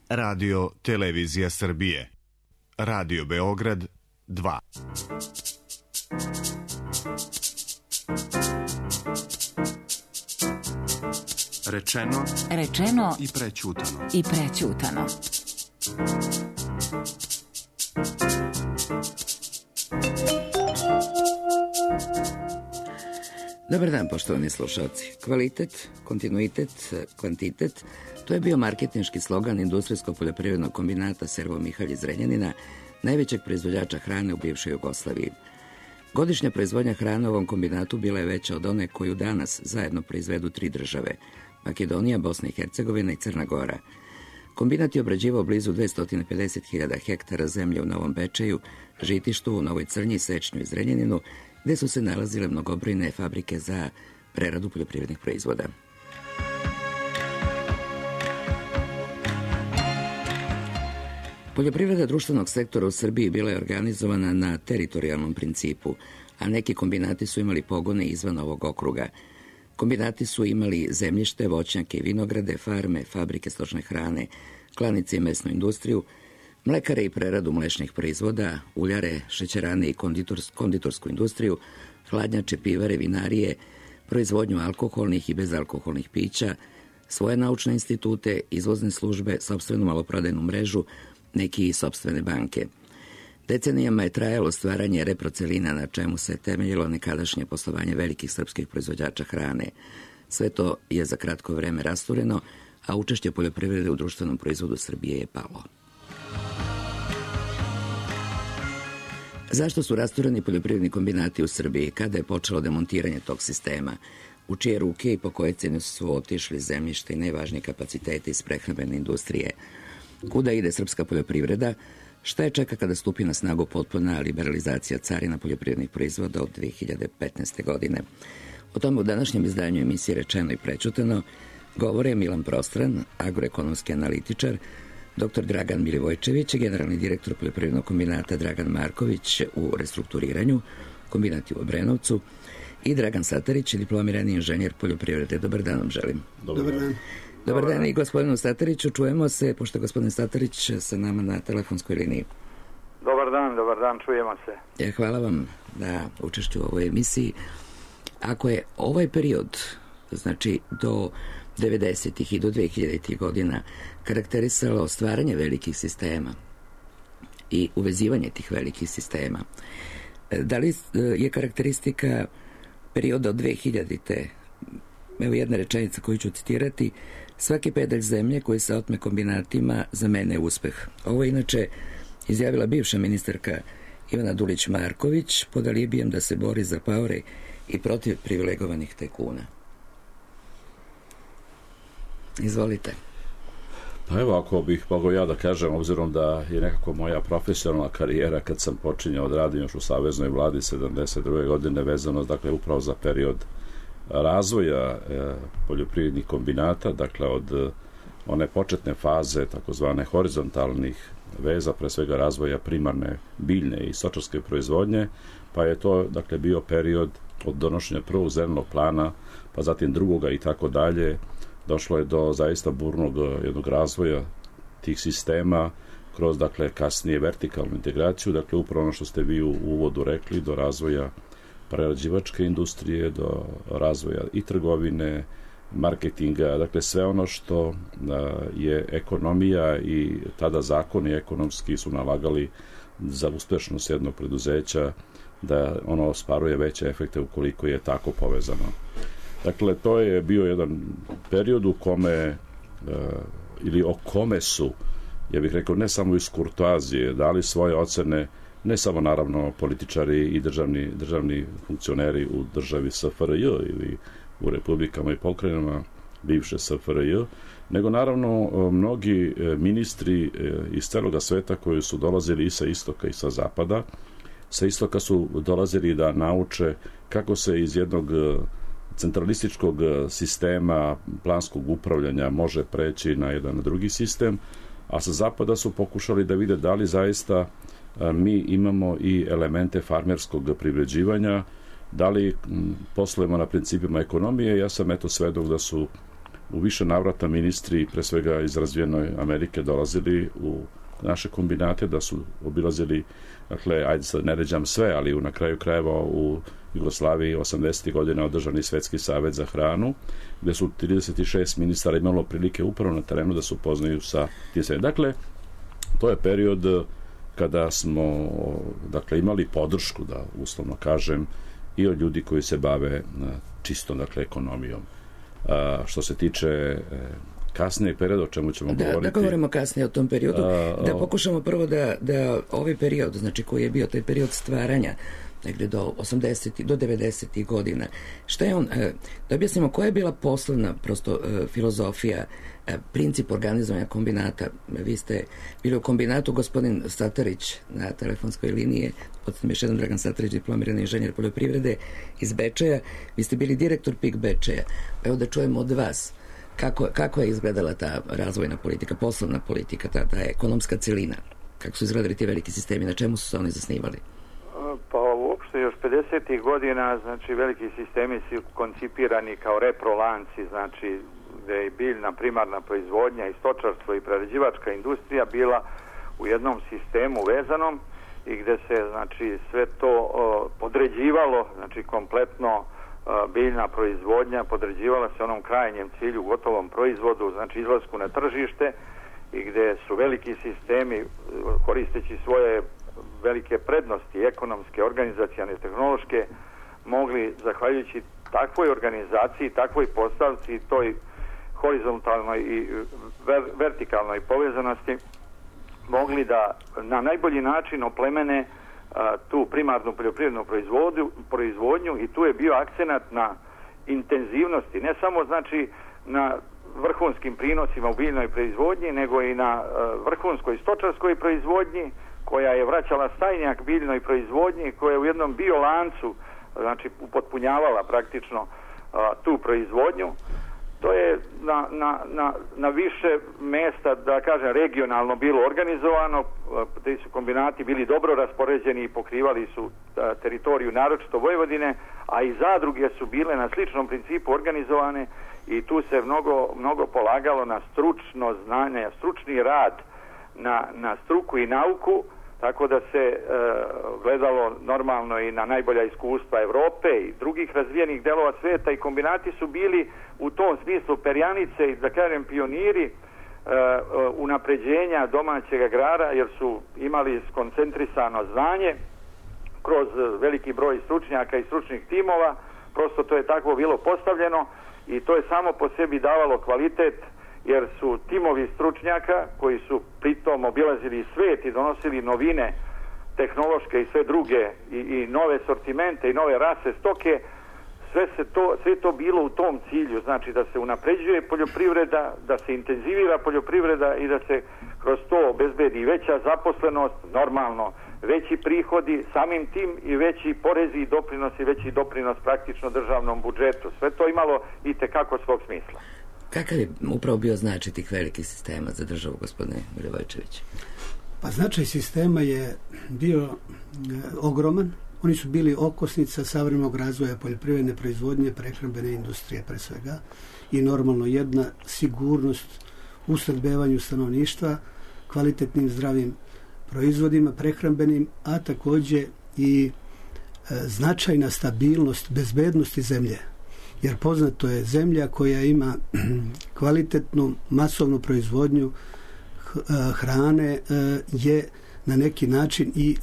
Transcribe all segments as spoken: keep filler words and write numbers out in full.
Radio Televizija Srbije. Radio Beograd dva. Rečeno, rečeno i prećutano. I prećutano. Dobar dan, poštovani slušalci. Kvalitet, kontinuitet, kvantitet, to je bio marketinški slogan Industrijsko-poljoprivrednog kombinata Servo Mihalj iz Zrenjanina, najvećeg proizvođača hrane u bivšoj Jugoslaviji. Godišnja proizvodnja hrane u ovom kombinatu bila je veća od one koju danas zajedno proizvedu tri države: Makedonija, Bosna i Hercegovina i Crna Gora. Kombinat je obrađivao blizu dvesta pedeset hiljada hektara zemlje u Novom Bečeju, Žitištu, u Novoj Crnji, Sečnju i Zrenjaninu, gde su se nalazile mnogobrojne fabrike za preradu poljoprivrednih proizvoda. Poljoprivreda društvenog sektora u Srbiji bila je organizovana na teritorijalnom principu, a neki kombinati su imali pogone izvan ovog okruga. Kombinati su imali zemljište, voćnjake i vinograde, farme, fabrike stočne hrane, klanice i mesnu industriju, mlekare i preradu mlečnih proizvoda, uljare, šećerane i konditors, konditorsku industriju, hladnjače, pivare, vinarije, proizvodnju alkoholnih i bezalkoholnih pića, svoje naučne institute, izvozne službe, sopstvenu maloprodajnu mrežu, neki i sopstvene banke. Decenijama je trajalo stvaranje reprocelina na čemu se temeljilo nekadašnje poslovanje velikih srpskih proizvođača hrane. Sve to je za kratko vreme rastureno, a učešće poljoprivrede u društvenom proizvodu Srbije je palo. Zašto su rastureni poljoprivredni kombinati u Srbiji? Kada je počelo demontiranje tog sistema? U čije ruke i po koje cene su otišli zemljište i najvažnije kapacitete iz prehrambene industrije? Kuda ide srpska poljoprivreda? Šta je čeka kada stupi na snagu potpuna liberalizacija carina poljoprivrednih proizvoda od dve hiljade petnaeste. godine? O tome u današnjem izdanju emisije Rečeno i prećutano govore Milan Prostran, agroekonomski analitičar, doktor Dragan Milivojčević, generalni direktor poljoprivrednog kombinata Dragan Marković u restrukturiranju, kombinat u Obrenovcu, i Dragan Satarić, diplomirani inženjer poljoprivrede. Dobar dan vam želim. Dobar dan. Dobar dan i gospodinu Satariću. Čujemo se, pošto je gospodin Satarić sa nama na telefonskoj liniji. Dobar dan, dobar dan, čujemo se. Ja, hvala vam na učešću u ovoj emisiji. Ako je ovaj period, znači do devedesetih i do dve hiljaditih godina, karakterisalo stvaranje velikih sistema i uvezivanje tih velikih sistema, da li je karakteristika perioda od dve hiljadite. Evo jedna rečenica koju ću citirati: svaki pedalj zemlje koji se otme kombinatima za mene je uspeh. Ovo je inače izjavila bivša ministarka Ivana Dulić-Marković pod alibijem da se bori za paore i protiv privilegovanih tajkuna. Izvolite. Pa evo, ako bih mogao ja da kažem, obzirom da je nekako moja profesionalna karijera kad sam počinjao da radim još u Saveznoj vladi sedamdeset druge. godine vezano, dakle, upravo za period razvoja e, poljoprivrednih kombinata, dakle od e, one početne faze takozvane horizontalnih veza, pre svega razvoja primarne biljne i stočarske proizvodnje, pa je to, dakle, bio period od donošenja prvog zelenog plana, pa zatim drugoga i tako dalje. Došlo je do zaista burnog jednog razvoja tih sistema kroz, dakle, kasnije vertikalnu integraciju, dakle, upravo ono što ste vi u uvodu rekli, do razvoja prerađivačke industrije, do razvoja i trgovine, marketinga, dakle sve ono što je ekonomija i tada zakoni ekonomski su nalagali za uspešnost jednog preduzeća da ono ostvaruje veće efekte ukoliko je tako povezano. Dakle, to je bio jedan period u kome ili o kome su, ja bih rekao, ne samo iz kurtoazije dali svoje ocene, ne samo naravno političari i državni, državni funkcioneri u državi S F R J ili u republikama i pokrajinama bivše S F R J, nego naravno mnogi ministri iz celoga sveta koji su dolazili i sa istoka i sa zapada. Sa istoka su dolazili da nauče kako se iz jednog centralističkog sistema planskog upravljanja može preći na jedan drugi sistem, a sa zapada su pokušali da vide da li zaista mi imamo i elemente farmerskog privređivanja, da li poslujemo na principima ekonomije. Ja sam eto svedok da su u više navrata ministri, pre svega iz razvijenoj Amerike, dolazili u naše kombinate, da su obilazili, dakle, ajde sad ne ređam sve, ali u, na kraju krajeva u Jugoslaviji osamdesetih godina održani Svetski savet za hranu, gde su trideset šest ministara imalo prilike upravo na terenu da se upoznaju sa tim sve. Dakle, to je period kada smo, dakle, imali podršku, da uslovno kažem, i od ljudi koji se bave čistom, dakle, ekonomijom. A, što se tiče kasnijeg perioda, o čemu ćemo da, govoriti. Da govorimo kasnije o tom periodu, a, da pokušamo prvo da, da ovaj period, znači koji je bio taj period stvaranja, negde do osamdesetih, do devedesetih godina, šta je on, da objasnimo koja je bila poslovna prosto filozofija, princip organizovanja kombinata. Vi ste bili u kombinatu, gospodin Satarić na telefonskoj liniji, podsjetim još jedan Dragan Satarić, diplomirani inženjer poljoprivrede iz Bečeja, vi ste bili direktor P I K Bečeja. Evo da čujemo od vas kako, kako je izgledala ta razvojna politika, poslovna politika, ta, ta ekonomska celina, kako su izgledali ti veliki sistemi, na čemu su se oni zasnivali? Pa uopšte još pedesetih godina, znači veliki sistemi su koncipirani kao reprolanci, znači gde je biljna primarna proizvodnja i stočarstvo i prerađivačka industrija bila u jednom sistemu vezanom i gde se, znači, sve to o, podređivalo, znači kompletno o, biljna proizvodnja podređivala se onom krajnjem cilju, gotovom proizvodu, znači izlasku na tržište, i gde su veliki sistemi, koristeći svoje velike prednosti, ekonomske, organizacione, tehnološke, mogli, zahvaljujući takvoj organizaciji, takvoj postavci, toj horizontalnoj i ver, vertikalnoj povezanosti, mogli da na najbolji način oplemene a, tu primarnu poljoprivrednu proizvodnju, i tu je bio akcenat na intenzivnosti, ne samo, znači, na vrhunskim prinosima u biljnoj proizvodnji, nego i na a, vrhunskoj stočarskoj proizvodnji, koja je vraćala stajnjak biljnoj proizvodnji, koja je u jednom biolancu, znači, upotpunjavala praktično a, tu proizvodnju. To je na, na, na, na više mesta, da kažem, regionalno bilo organizovano. Ti su kombinati bili dobro raspoređeni i pokrivali su a, teritoriju naročito Vojvodine, a i zadruge su bile na sličnom principu organizovane, i tu se mnogo, mnogo polagalo na stručno znanje, stručni rad, na, na struku i nauku, tako da se e, gledalo normalno i na najbolja iskustva Evrope i drugih razvijenih delova sveta, i kombinati su bili u tom smislu perjanice i, da kažem, pioniri e, unapređenja domaćeg agrara, jer su imali skoncentrisano znanje kroz veliki broj stručnjaka i stručnih timova. Prosto to je tako bilo postavljeno i to je samo po sebi davalo kvalitet, jer su timovi stručnjaka koji su pritom obilazili svet i donosili novine tehnološke i sve druge i, i nove sortimente i nove rase stoke, sve se to, sve to bilo u tom cilju, znači da se unapređuje poljoprivreda, da se intenzivira poljoprivreda i da se kroz to obezbedi veća zaposlenost, normalno veći prihodi, samim tim i veći porezi i doprinosi, veći doprinos praktično državnom budžetu. Sve to imalo i tekako svog smisla. Kakav je upravo bio značaj tih velikih sistema za državu, gospodine Milivojčević? Pa značaj sistema je bio e, ogroman. Oni su bili okosnica savremenog razvoja poljoprivredne proizvodnje, prehrambene industrije pre svega, i normalno jedna sigurnost u snabdevanju stanovništva kvalitetnim zdravim proizvodima prehrambenim, a takođe i e, značajna stabilnost bezbednosti zemlje. Jer poznato je, zemlja koja ima kvalitetnu masovnu proizvodnju hrane je na neki način i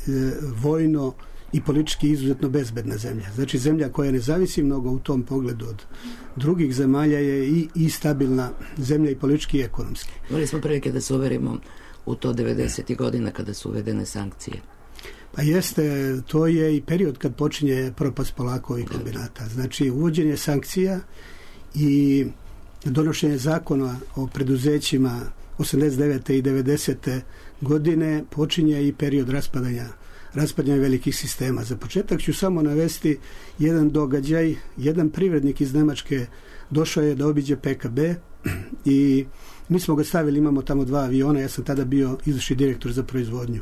vojno i politički izuzetno bezbedna zemlja. Znači zemlja koja ne zavisi mnogo u tom pogledu od drugih zemalja je i, i stabilna zemlja i politički i ekonomski. Imali smo prilike da se uverimo u to devedesetih godina kada su uvedene sankcije. Pa jeste, to je i period kad počinje propast polako ovih kombinata. Znači uvođenje sankcija i donošenje zakona o preduzećima osamdeset devete i devedesete godine počinje i period raspadanja raspadanja velikih sistema. Za početak ću samo navesti jedan događaj. Jedan privrednik iz Nemačke došao je da obiđe P K B i mi smo ga stavili, imamo tamo dva aviona, ja sam tada bio izvršni direktor za proizvodnju.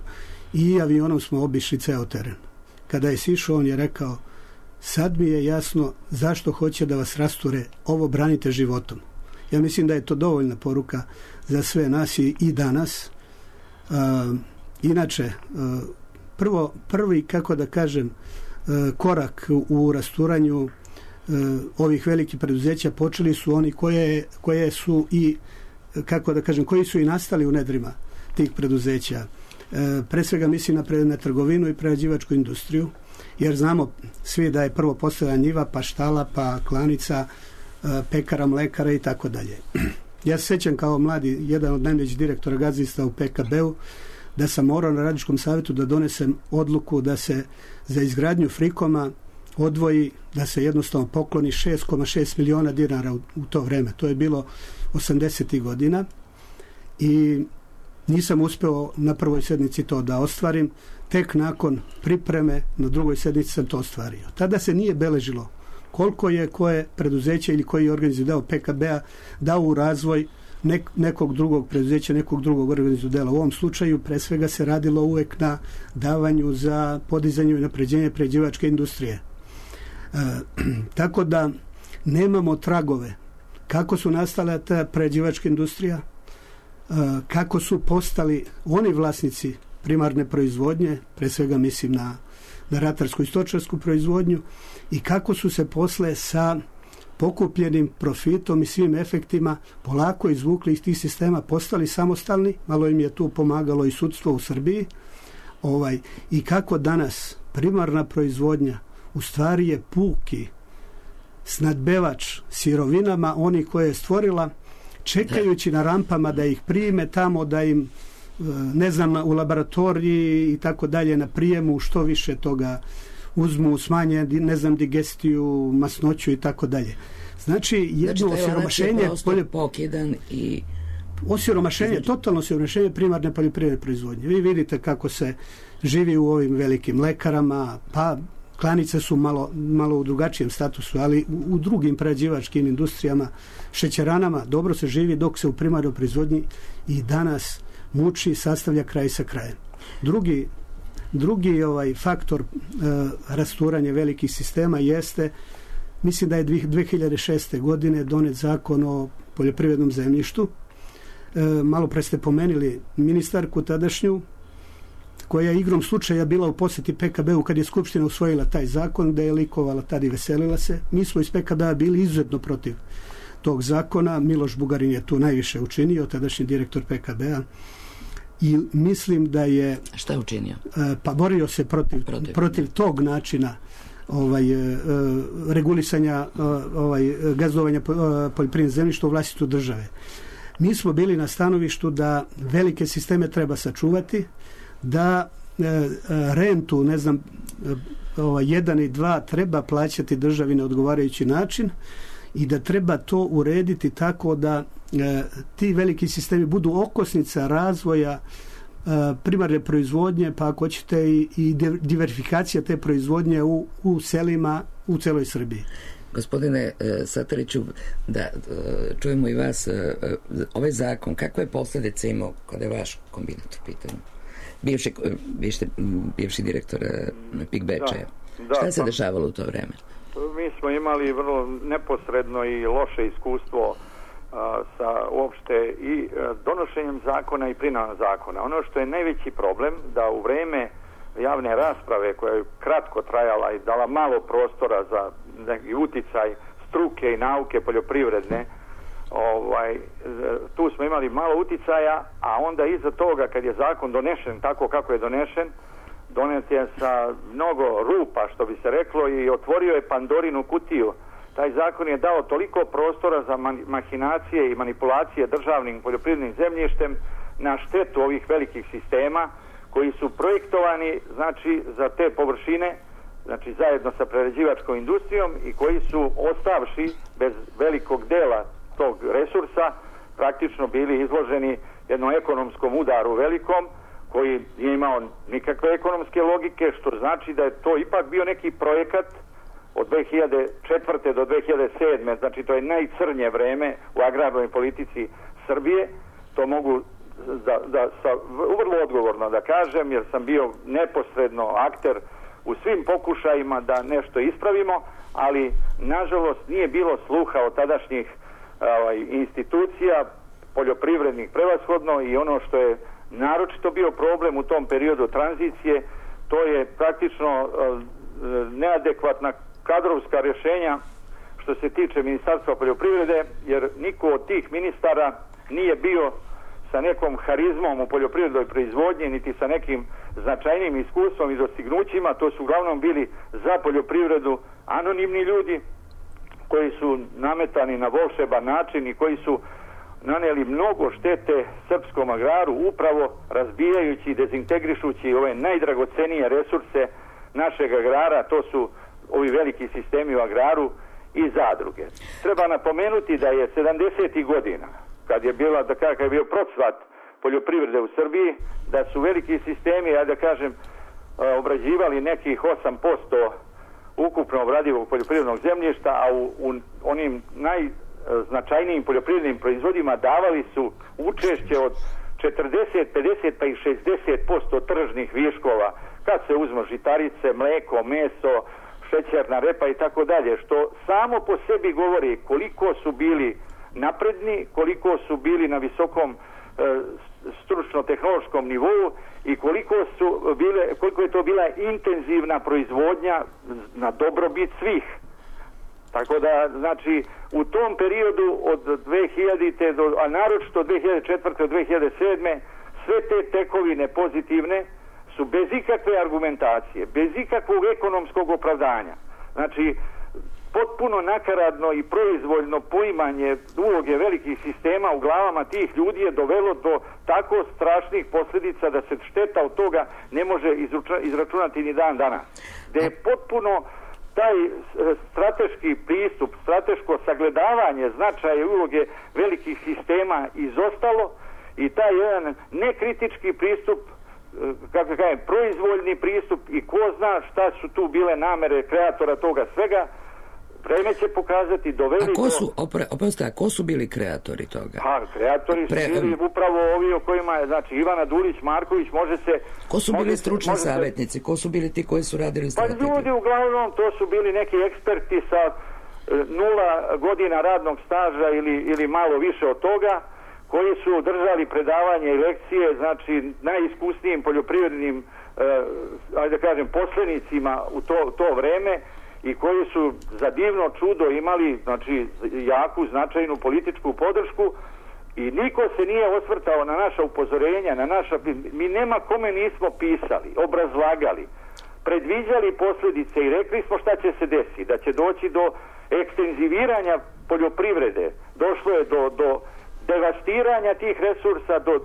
I avionom smo obišli ceo teren. Kada je sišao, on je rekao: sad mi je jasno zašto hoće da vas rasture, ovo branite životom. Ja mislim da je to dovoljna poruka za sve nas i, i danas. Uh, inače, uh, prvo, prvi, kako da kažem, uh, korak u rasturanju uh, ovih velikih preduzeća počeli su oni koje, koje su i, kako da kažem, koji su i nastali u nedrima tih preduzeća. Uh, pre svega mislim na, na trgovinu i prerađivačku industriju, jer znamo svi da je prvo postojala njiva, pa štala, pa klanica, uh, pekara, mlekara i tako dalje. Ja se sjećam kao mladi, jedan od najvećih direktora gazdinstva u P K B-u, da sam morao na radničkom savjetu da donesem odluku da se za izgradnju Frikoma odvoji, da se jednostavno pokloni šest zarez šest miliona dinara u, u to vreme. To je bilo osamdesetih godina i nisam uspeo na prvoj sednici to da ostvarim. Tek nakon pripreme na drugoj sednici sam to ostvario. Tada se nije beležilo koliko je koje preduzeće ili koji organizaciju dao P K B-a dao u razvoj nek, nekog drugog preduzeća, nekog drugog organizaciju dela. U ovom slučaju pre svega se radilo uvek na davanju za podizanje i napređenje prerađivačke industrije. E, tako da nemamo tragove kako su nastala ta prerađivačka industrija, e, kako su postali oni vlasnici primarne proizvodnje, pre svega mislim na, na ratarsku i stočarsku proizvodnju, i kako su se posle sa pokupljenim profitom i svim efektima polako izvukli iz tih sistema, postali samostalni, malo im je tu pomagalo i sudstvo u Srbiji, ovaj, i kako danas primarna proizvodnja u stvari je puki snadbevač sirovinama, oni koje je stvorila, čekajući na rampama da ih prime tamo, da im, ne znam, u laboratoriji i tako dalje, na prijemu što više toga uzmu, smanje, ne znam, digestiju, masnoću i tako dalje. Znači, jedno znači, osiromašenje polje... pokidan i... Osiromašenje, znači... totalno osiromašenje primarne poljoprivredne proizvodnje. Vi vidite kako se živi u ovim velikim mlekarama, pa klanice su malo, malo u drugačijem statusu, ali u, u drugim prerađivačkim industrijama, šećeranama, dobro se živi, dok se u primarnoj proizvodnji i danas muči, sastavlja kraj sa krajem. Drugi Drugi ovaj faktor e, rasturanja velikih sistema jeste, mislim da je dve hiljade šeste. godine donet zakon o poljoprivrednom zemljištu. E, malo pre ste pomenuli ministarku tadašnju, koja je igrom slučaja bila u posjeti P K B-u kad je Skupština usvojila taj zakon, da je likovala tad i veselila se. Mi smo iz P K B-a bili izuzetno protiv tog zakona. Miloš Bugarin je tu najviše učinio, tadašnji direktor P K B-a. I mislim da je... Šta je učinio? Pa borio se protiv, protiv. protiv tog načina ovaj, regulisanja ovaj, gazdovanja poljoprivrednog zemljišta u vlasništvu države. Mi smo bili na stanovištu da velike sisteme treba sačuvati, da rentu, ne znam, ovaj, jedan i dva treba plaćati državi na odgovarajući način i da treba to urediti tako da e, ti veliki sistemi budu okosnica razvoja e, primarne proizvodnje, pa ako hoćete i, i diversifikacija te proizvodnje u, u selima u celoj Srbiji. Gospodine e, Satariću, da e, čujemo i vas, e, ovaj zakon, kakve posljedice imao kada je vaš kombinat u pitanju? Bivši, bivši, bivši direktor P I K Bečeja. Šta se pa... dešavalo u to vreme? Mi smo imali vrlo neposredno i loše iskustvo a, sa uopšte i a, donošenjem zakona i primenom zakona. Ono što je najveći problem, da u vreme javne rasprave koja je kratko trajala i dala malo prostora za neki uticaj struke i nauke poljoprivredne, ovaj, tu smo imali malo uticaja, a onda iza toga kad je zakon donešen tako kako je donešen, donet je sa mnogo rupa, što bi se reklo, i otvorio je Pandorinu kutiju. Taj zakon je dao toliko prostora za mahinacije i manipulacije državnim poljoprivrednim zemljištem na štetu ovih velikih sistema koji su projektovani, znači, za te površine, znači zajedno sa prerađivačkom industrijom, i koji su, ostavši bez velikog dela tog resursa, praktično bili izloženi jednom ekonomskom udaru velikom, koji nije imao nikakve ekonomske logike, što znači da je to ipak bio neki projekat od dve hiljade četvrte do dve hiljade sedme. Znači to je najcrnje vreme u agrarnoj politici Srbije. To mogu da, da sa, vrlo odgovorno da kažem, jer sam bio neposredno akter u svim pokušajima da nešto ispravimo, ali nažalost nije bilo sluha od tadašnjih ovaj, institucija, poljoprivrednih prevashodno, i ono što je naročito bio problem u tom periodu tranzicije, to je praktično neadekvatna kadrovska rješenja što se tiče Ministarstva poljoprivrede, jer niko od tih ministara nije bio sa nekom harizmom u poljoprivrednoj proizvodnji, niti sa nekim značajnim iskustvom i dostignućima. To su uglavnom bili za poljoprivredu anonimni ljudi koji su nametani na volšeban način i koji su naneli mnogo štete srpskom agraru, upravo razbijajući i dezintegrišući ove najdragocenije resurse našeg agrara, to su ovi veliki sistemi u agraru i zadruge. Treba napomenuti da je sedamdesetih godina, kad je bila, da kakav je bio procvat poljoprivrede u Srbiji, da su veliki sistemi, ja da kažem, obrađivali nekih osam posto ukupno obradivog poljoprivrednog zemljišta, a u, u onim najznačajnijim poljoprivrednim proizvodima davali su učešće od četrdeset, pedeset pa i šezdeset posto tržnih viškova, kad se uzmu žitarice, mleko, meso, šećerna repa i tako dalje, što samo po sebi govori koliko su bili napredni, koliko su bili na visokom e, stručno-tehnološkom nivou i koliko su bile, koliko je to bila intenzivna proizvodnja na dobrobit svih. Tako da, znači, u tom periodu od dve hiljadite do, a naročito od dve hiljade četvrte do dve hiljade sedme sve te tekovine pozitivne su bez ikakve argumentacije, bez ikakvog ekonomskog opravdanja. Znači, potpuno nakaradno i proizvoljno poimanje uloge velikih sistema u glavama tih ljudi je dovelo do tako strašnih posljedica da se šteta od toga ne može izračunati ni dan danas. Da je potpuno taj strateški pristup, strateško sagledavanje značaja i uloge velikih sistema izostalo i taj jedan nekritički pristup, kako kažem, proizvoljni pristup i ko zna šta su tu bile namere kreatora toga svega, vreme će pokazati, doveli a ko su, do... opre, oprosti, a ko su bili kreatori toga? Pa, kreatori su Pre... bili upravo ovi o kojima je, znači, Ivana Dulić, Marković, može se... Ko su bili stručni se, savjetnici? Se... Ko su bili ti koji su radili strategiju? Pa ljudi, uglavnom, to su bili neki eksperti sa e, nula godina radnog staža ili, ili malo više od toga, koji su držali predavanje i lekcije, znači, najiskusnijim poljoprivrednim, e, ajde da kažem, poslenicima u to, to vreme, i koji su za divno čudo imali, znači, jaku, značajnu političku podršku, i niko se nije osvrtao na naša upozorenja, na naša... Mi nema kome nismo pisali, obrazlagali, predviđali posljedice i rekli smo šta će se desiti, da će doći do ekstenziviranja poljoprivrede, došlo je do, do devastiranja tih resursa, do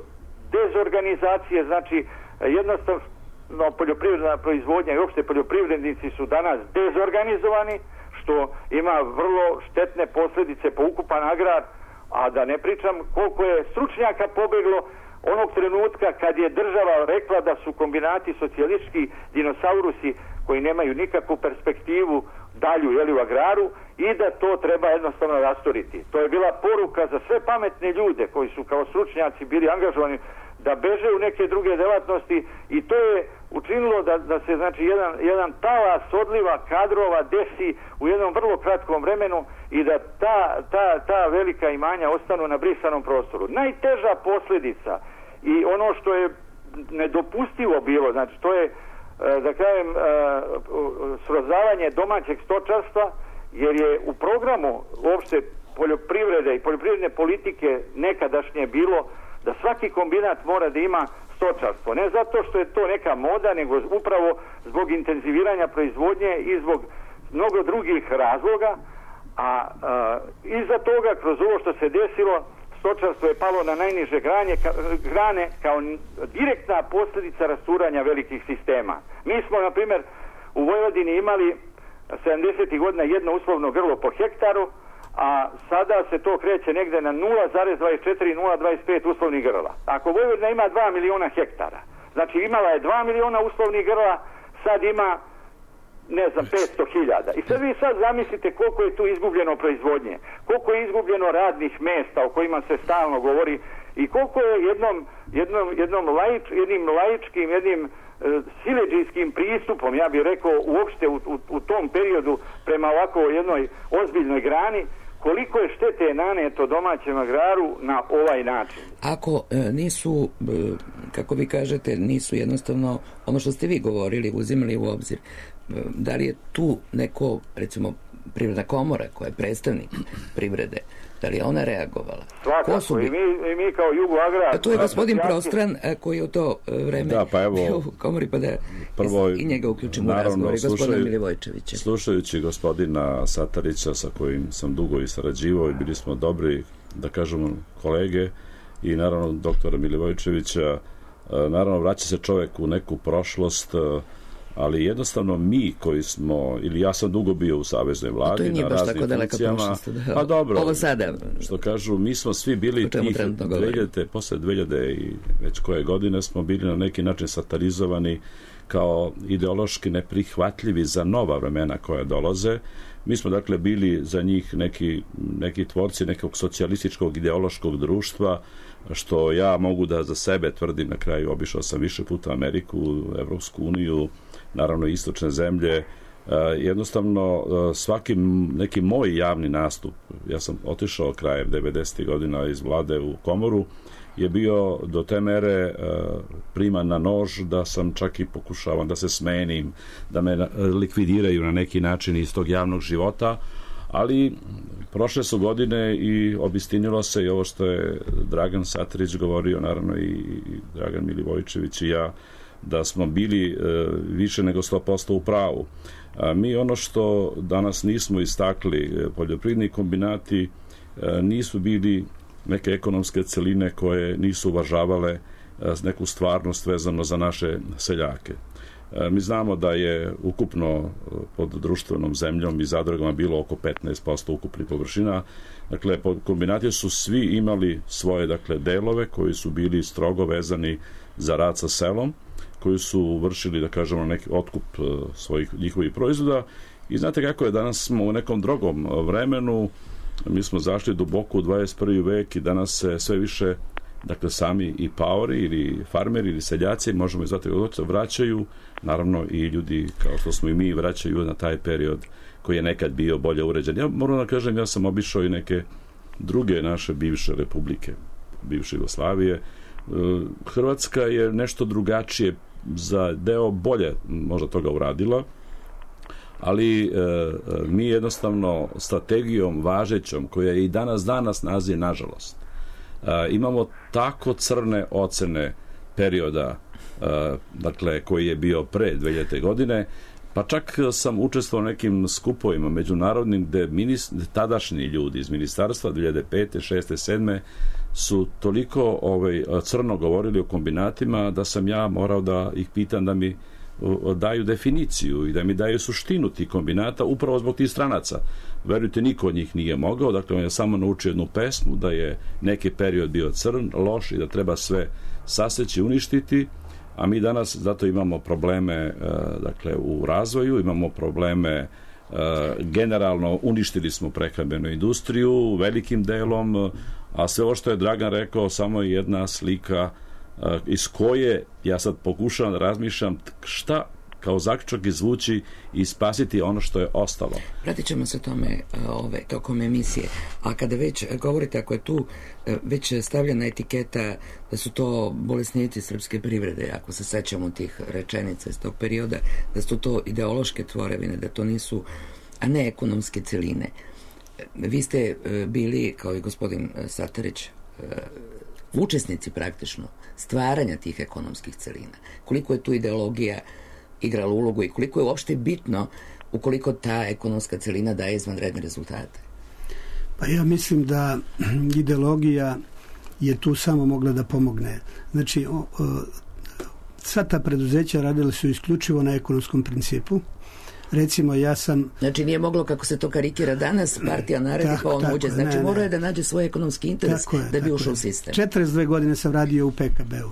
dezorganizacije, znači, jednostavno no, poljoprivredna proizvodnja i uopšte poljoprivrednici su danas dezorganizovani, što ima vrlo štetne posljedice po ukupan agrar, a da ne pričam koliko je stručnjaka pobeglo onog trenutka kad je država rekla da su kombinati socijalistički dinosaurusi koji nemaju nikakvu perspektivu dalju, jeli, u agraru, i da to treba jednostavno rasturiti. To je bila poruka za sve pametne ljude koji su kao stručnjaci bili angažovani da beže u neke druge delatnosti, i to je učinilo da, da se, znači, jedan, jedan talas odliva kadrova desi u jednom vrlo kratkom vremenu i da ta, ta, ta velika imanja ostanu na brisanom prostoru. Najteža posljedica i ono što je nedopustivo bilo, znači to je, da kažem, srozavanje domaćeg stočarstva, jer je u programu uopšte poljoprivrede i poljoprivredne politike nekadašnje bilo da svaki kombinat mora da ima stočarstvo. Ne zato što je to neka moda, nego upravo zbog intenziviranja proizvodnje i zbog mnogo drugih razloga, a, a iza toga, kroz ovo što se desilo, stočarstvo je palo na najniže grane, ka, grane kao direktna posljedica rasturanja velikih sistema. Mi smo, na primjer, u Vojvodini imali sedamdesetih godina jedno uslovno grlo po hektaru, a sada se to kreće negde na nula zarez dvadeset četiri do nula zarez dvadeset pet uslovnih grla. Ako Vojvodina ima dva miliona hektara, znači imala je dva miliona uslovnih grla, sad ima, ne znam, petsto hiljada. I sad vi sad zamislite koliko je tu izgubljeno proizvodnje, koliko je izgubljeno radnih mesta o kojima se stalno govori, i koliko je jednom, jednom, jednom laič, jednim laičkim, jednim e, siledžijskim pristupom, ja bih rekao, uopšte u, u, u tom periodu prema ovako jednoj ozbiljnoj grani, koliko je štete naneto domaćem agraru na ovaj način? Ako e, nisu, e, kako vi kažete, nisu jednostavno ono što ste vi govorili, uzimali u obzir, e, da li je tu neko, recimo, Privredna komora koja je predstavnik privrede, da li je ona reagovala? Svakako, su bi... i, mi, i mi kao Jugoagrar... A tu je gospodin Prostran koji je u to vreme da, pa evo, bio u komori, pa da prvo, i njega uključimo u razgovor, i gospodina Milivojčevića. Slušajući gospodina Satarića, sa kojim sam dugo i sarađivao i bili smo dobri, da kažemo, kolege, i naravno doktora Milivojčevića, naravno vraća se čovjek u neku prošlost, ali jednostavno mi koji smo, ili ja sam dugo bio u saveznoj vladi na raznim funkcijama, da, pa dobro, ovo sada, što kažu, mi smo svi bili tih dve hiljade, posle dve hiljade i već koje godine smo bili na neki način satarizovani kao ideološki neprihvatljivi za nova vremena koja dolaze. Mi smo dakle bili za njih neki, neki tvorci nekog socijalističkog ideološkog društva, što ja mogu da za sebe tvrdim. Na kraju obišao sam više puta Ameriku, Evropsku uniju, naravno istočne zemlje. Jednostavno svaki neki moj javni nastup, ja sam otišao krajem devedesetih godina iz vlade u komoru, je bio do te mere priman na nož da sam čak i pokušavam da se smenim, da me likvidiraju na neki način iz tog javnog života, ali prošle su godine i obistinilo se i ovo što je Dragan Satarić govorio, naravno i Dragan Milivojčević i ja, da smo bili e, više nego sto posto u pravu. A mi ono što danas nismo istakli, poljoprivredni kombinati e, nisu bili neke ekonomske celine koje nisu uvažavale e, neku stvarnost vezano za naše seljake. E, mi znamo da je ukupno pod društvenom zemljom i zadrugama bilo oko petnaest posto ukupnih površina. Dakle, kombinati su svi imali svoje, dakle, delove koji su bili strogo vezani za rad sa selom, koji su vršili, da kažemo, neki otkup svojih njihovih proizvoda. I znate kako je, danas smo u nekom drugom vremenu, mi smo zašli duboko u dvadeset prvi vek i danas se sve više, dakle, sami i paori ili farmeri ili seljaci, možemo i zvati, vraćaju, naravno i ljudi kao što smo i mi, vraćaju na taj period koji je nekad bio bolje uređen. Ja moram da kažem, ja sam obišao i neke druge naše bivše republike, bivše Jugoslavije. Hrvatska je nešto drugačije za deo bolje možda toga uradila, ali e, mi jednostavno strategijom važećom, koja je i danas danas nazi, nažalost, e, imamo tako crne ocene perioda, e, dakle, koji je bio pre dve hiljadite. godine, pa čak sam učestvovao u nekim skupovima međunarodnim gde minist, tadašnji ljudi iz ministarstva dve hiljade pete, šeste, sedme su toliko ovaj, crno govorili o kombinatima da sam ja morao da ih pitam da mi daju definiciju i da mi daju suštinu tih kombinata upravo zbog tih stranaca. Verujte, niko od njih nije mogao, dakle on je samo naučio jednu pesmu da je neki period bio crn, loš i da treba sve saseći, uništiti, a mi danas zato imamo probleme dakle u razvoju, imamo probleme generalno, uništili smo prehrambenu industriju velikim delom, a sve ovo što je Dragan rekao samo je jedna slika iz koje ja sad pokušavam da razmišljam šta kao zaključak izvući i spasiti ono što je ostalo. Pratit ćemo se tome ove, tokom emisije. A kada već govorite, ako je tu već stavljena etiketa da su to bolesnici srpske privrede, ako se sećamo tih rečenica iz tog perioda, da su to ideološke tvorevine, da to nisu, a ne ekonomske celine. Vi ste bili, kao i gospodin Satarić, učesnici praktično stvaranja tih ekonomskih celina. Koliko je tu ideologija igrala ulogu i koliko je uopšte bitno ukoliko ta ekonomska celina daje izvanredne rezultate? Pa ja mislim da ideologija je tu samo mogla da pomogne. Znači, o, o, sva ta preduzeća radila su isključivo na ekonomskom principu. Recimo, ja sam... Znači, nije moglo, kako se to karikira danas, partija naredi pa on uđe. Znači, morao je da nađe svoj ekonomski interes je, da bi ušao u sistem. četrdeset dve godine sam radio u P K B-u.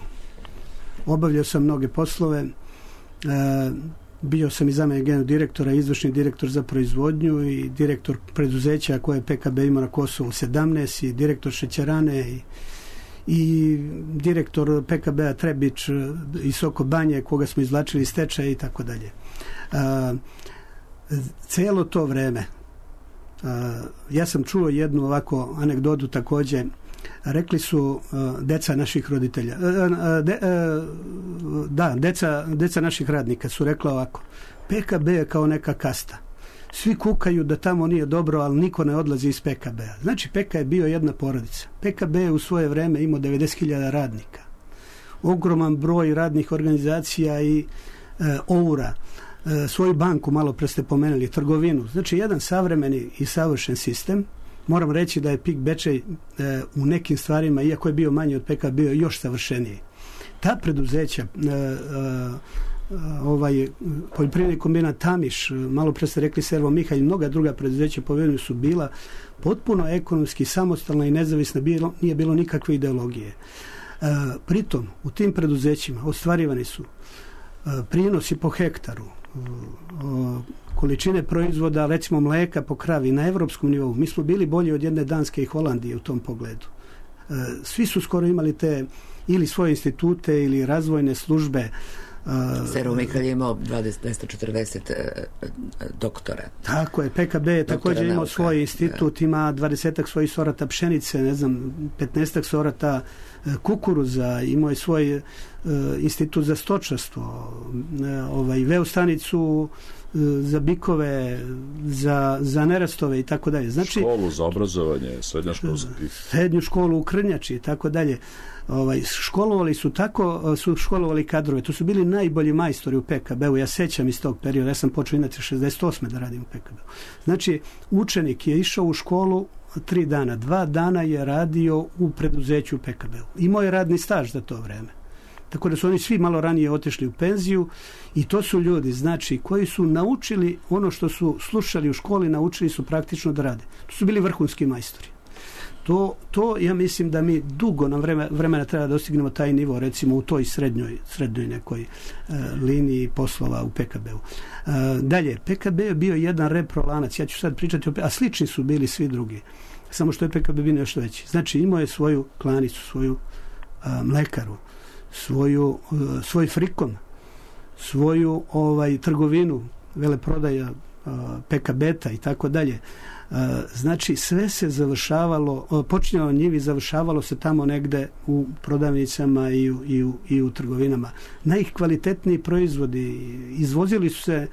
Obavljao sam mnoge poslove. E, bio sam i zamenik generalnog direktora, izvršni direktor za proizvodnju i direktor preduzeća koje je P K B imao na Kosovu sedamnaest i direktor šećerane i, i direktor P K B-a Trebić i Soko Banje koga smo izvlačili iz stečaja i tako dalje. Celo to vreme ja sam čuo jednu ovako anegdotu također. Rekli su deca naših roditelja, de, da, deca, deca naših radnika su rekla ovako: P K B je kao neka kasta. Svi kukaju da tamo nije dobro, ali niko ne odlazi iz P K B-a. Znači, P K je bio jedna porodica. P K B je u svoje vreme imao devedeset hiljada radnika. Ogroman broj radnih organizacija i e, oura. E, svoju banku, malo pre ste pomenuli, trgovinu. Znači, jedan savremeni i savršen sistem. Moram reći da je P I K Bečej e, u nekim stvarima, iako je bio manji od P K, bio još savršeniji. Ta preduzeća, e, e, ovaj poljoprivredni kombinat Tamiš, malo pre ste rekli Servo Mihalj, mnoga druga preduzeća povedenu su bila potpuno ekonomski samostalna i nezavisna, bilo, nije bilo nikakve ideologije. E, pritom, u tim preduzećima ostvarivani su e, prinosi po hektaru, e, količine proizvoda, recimo mleka po kravi na evropskom nivou. Mi smo bili bolji od jedne Danske i Holandije u tom pogledu. E, svi su skoro imali te ili svoje institute ili razvojne službe. Servo Mihalj je imao dvesta četrdeset uh, doktora. Tako je, P K B je također imao svoj institut, da. Ima dvadesetak svojih sorata pšenice, ne znam, petnaestak sorata uh, kukuruza, imao je svoj uh, institut za stočarstvo, uh, ovaj, veo stanicu uh, za bikove, za, za nerastove i tako dalje. Znači, školu za obrazovanje, srednjoškolski. Srednju školu u Krnjači i tako dalje. Ovaj, školovali su tako, su školovali kadrove. To su bili najbolji majstori u P K B-u. Ja sećam iz tog perioda. Ja sam počeo inače šezdeset osme da radim u P K B-u. Znači, učenik je išao u školu tri dana. Dva dana je radio u preduzeću u P K B-u. Imao je radni staž za to vreme. Tako da su oni svi malo ranije otišli u penziju i to su ljudi, znači, koji su naučili ono što su slušali u školi, naučili su praktično da rade. To su bili vrhunski majstori. To, to ja mislim da mi dugo nam vremena, vremena treba da dostignemo taj nivo, recimo u toj srednjoj, srednjoj nekoj e, liniji poslova u P K B-u. E, dalje, P K B je bio jedan reprolanac, ja ću sad pričati o, a slični su bili svi drugi, samo što je P K B bio nešto veći. Znači, imao je svoju klanicu, svoju a, mlekaru, svoju, a, svoj frikon, svoju ovaj trgovinu, veleprodaja a, P K B-ta i tako dalje. Znači, sve se završavalo, počinjalo njivi, završavalo se tamo negde u prodavnicama i u, i u, i u trgovinama. Najkvalitetniji proizvodi izvozili su se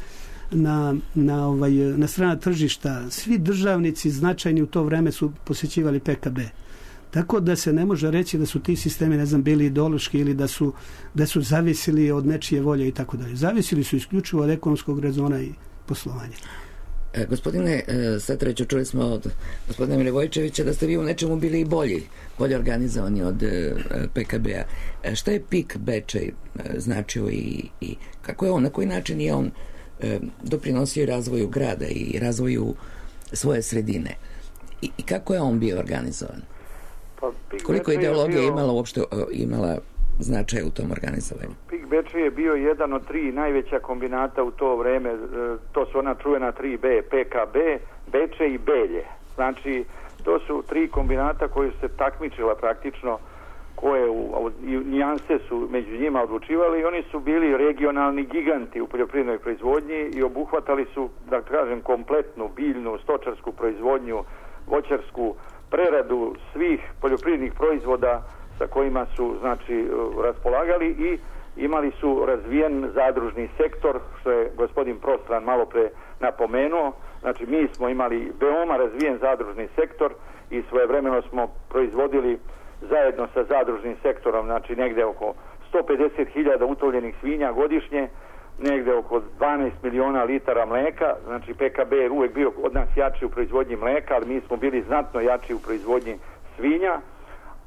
na, na, ovaj, na strana tržišta. Svi državnici značajni u to vreme su posjećivali P K B. Tako da se ne može reći da su ti sistemi, ne znam, bili ideološki ili da su, da su zavisili od nečije volje i tako dalje. Zavisili su isključivo od ekonomskog rezona i poslovanja. E, gospodine Satraću, čuli smo od gospodina Milivojčevića da ste vi u nečemu bili i bolji, bolje organizovani od e, P K B-a. E, šta je P I K Bečej e, značio i, i kako je on, na koji način je on e, doprinosio razvoju grada i razvoju svoje sredine? I, i kako je on bio organizovan? Pa, Koliko ideologija bio... imala uopšte imala značaj u tom organizovanju? P I K Bečej je bio jedan od tri najveća kombinata u to vreme. To su ona čuvena tri B, P K B, Bečej i Belje. Znači, to su tri kombinata koji su se takmičila praktično, koje u, u, nijanse su među njima odlučivali i oni su bili regionalni giganti u poljoprivrednoj proizvodnji i obuhvatali su, da kažem, kompletnu biljnu, stočarsku proizvodnju, voćarsku preradu svih poljoprivrednih proizvoda sa kojima su, znači, raspolagali i imali su razvijen zadružni sektor, što je gospodin Prostran malo pre napomenuo. Znači, mi smo imali veoma razvijen zadružni sektor i svojevremeno smo proizvodili zajedno sa zadružnim sektorom, znači negde oko sto pedeset hiljada utovljenih svinja godišnje, negde oko dvanaest miliona litara mleka. Znači, P K B je uvek bio od nas jači u proizvodnji mleka, ali mi smo bili znatno jači u proizvodnji svinja.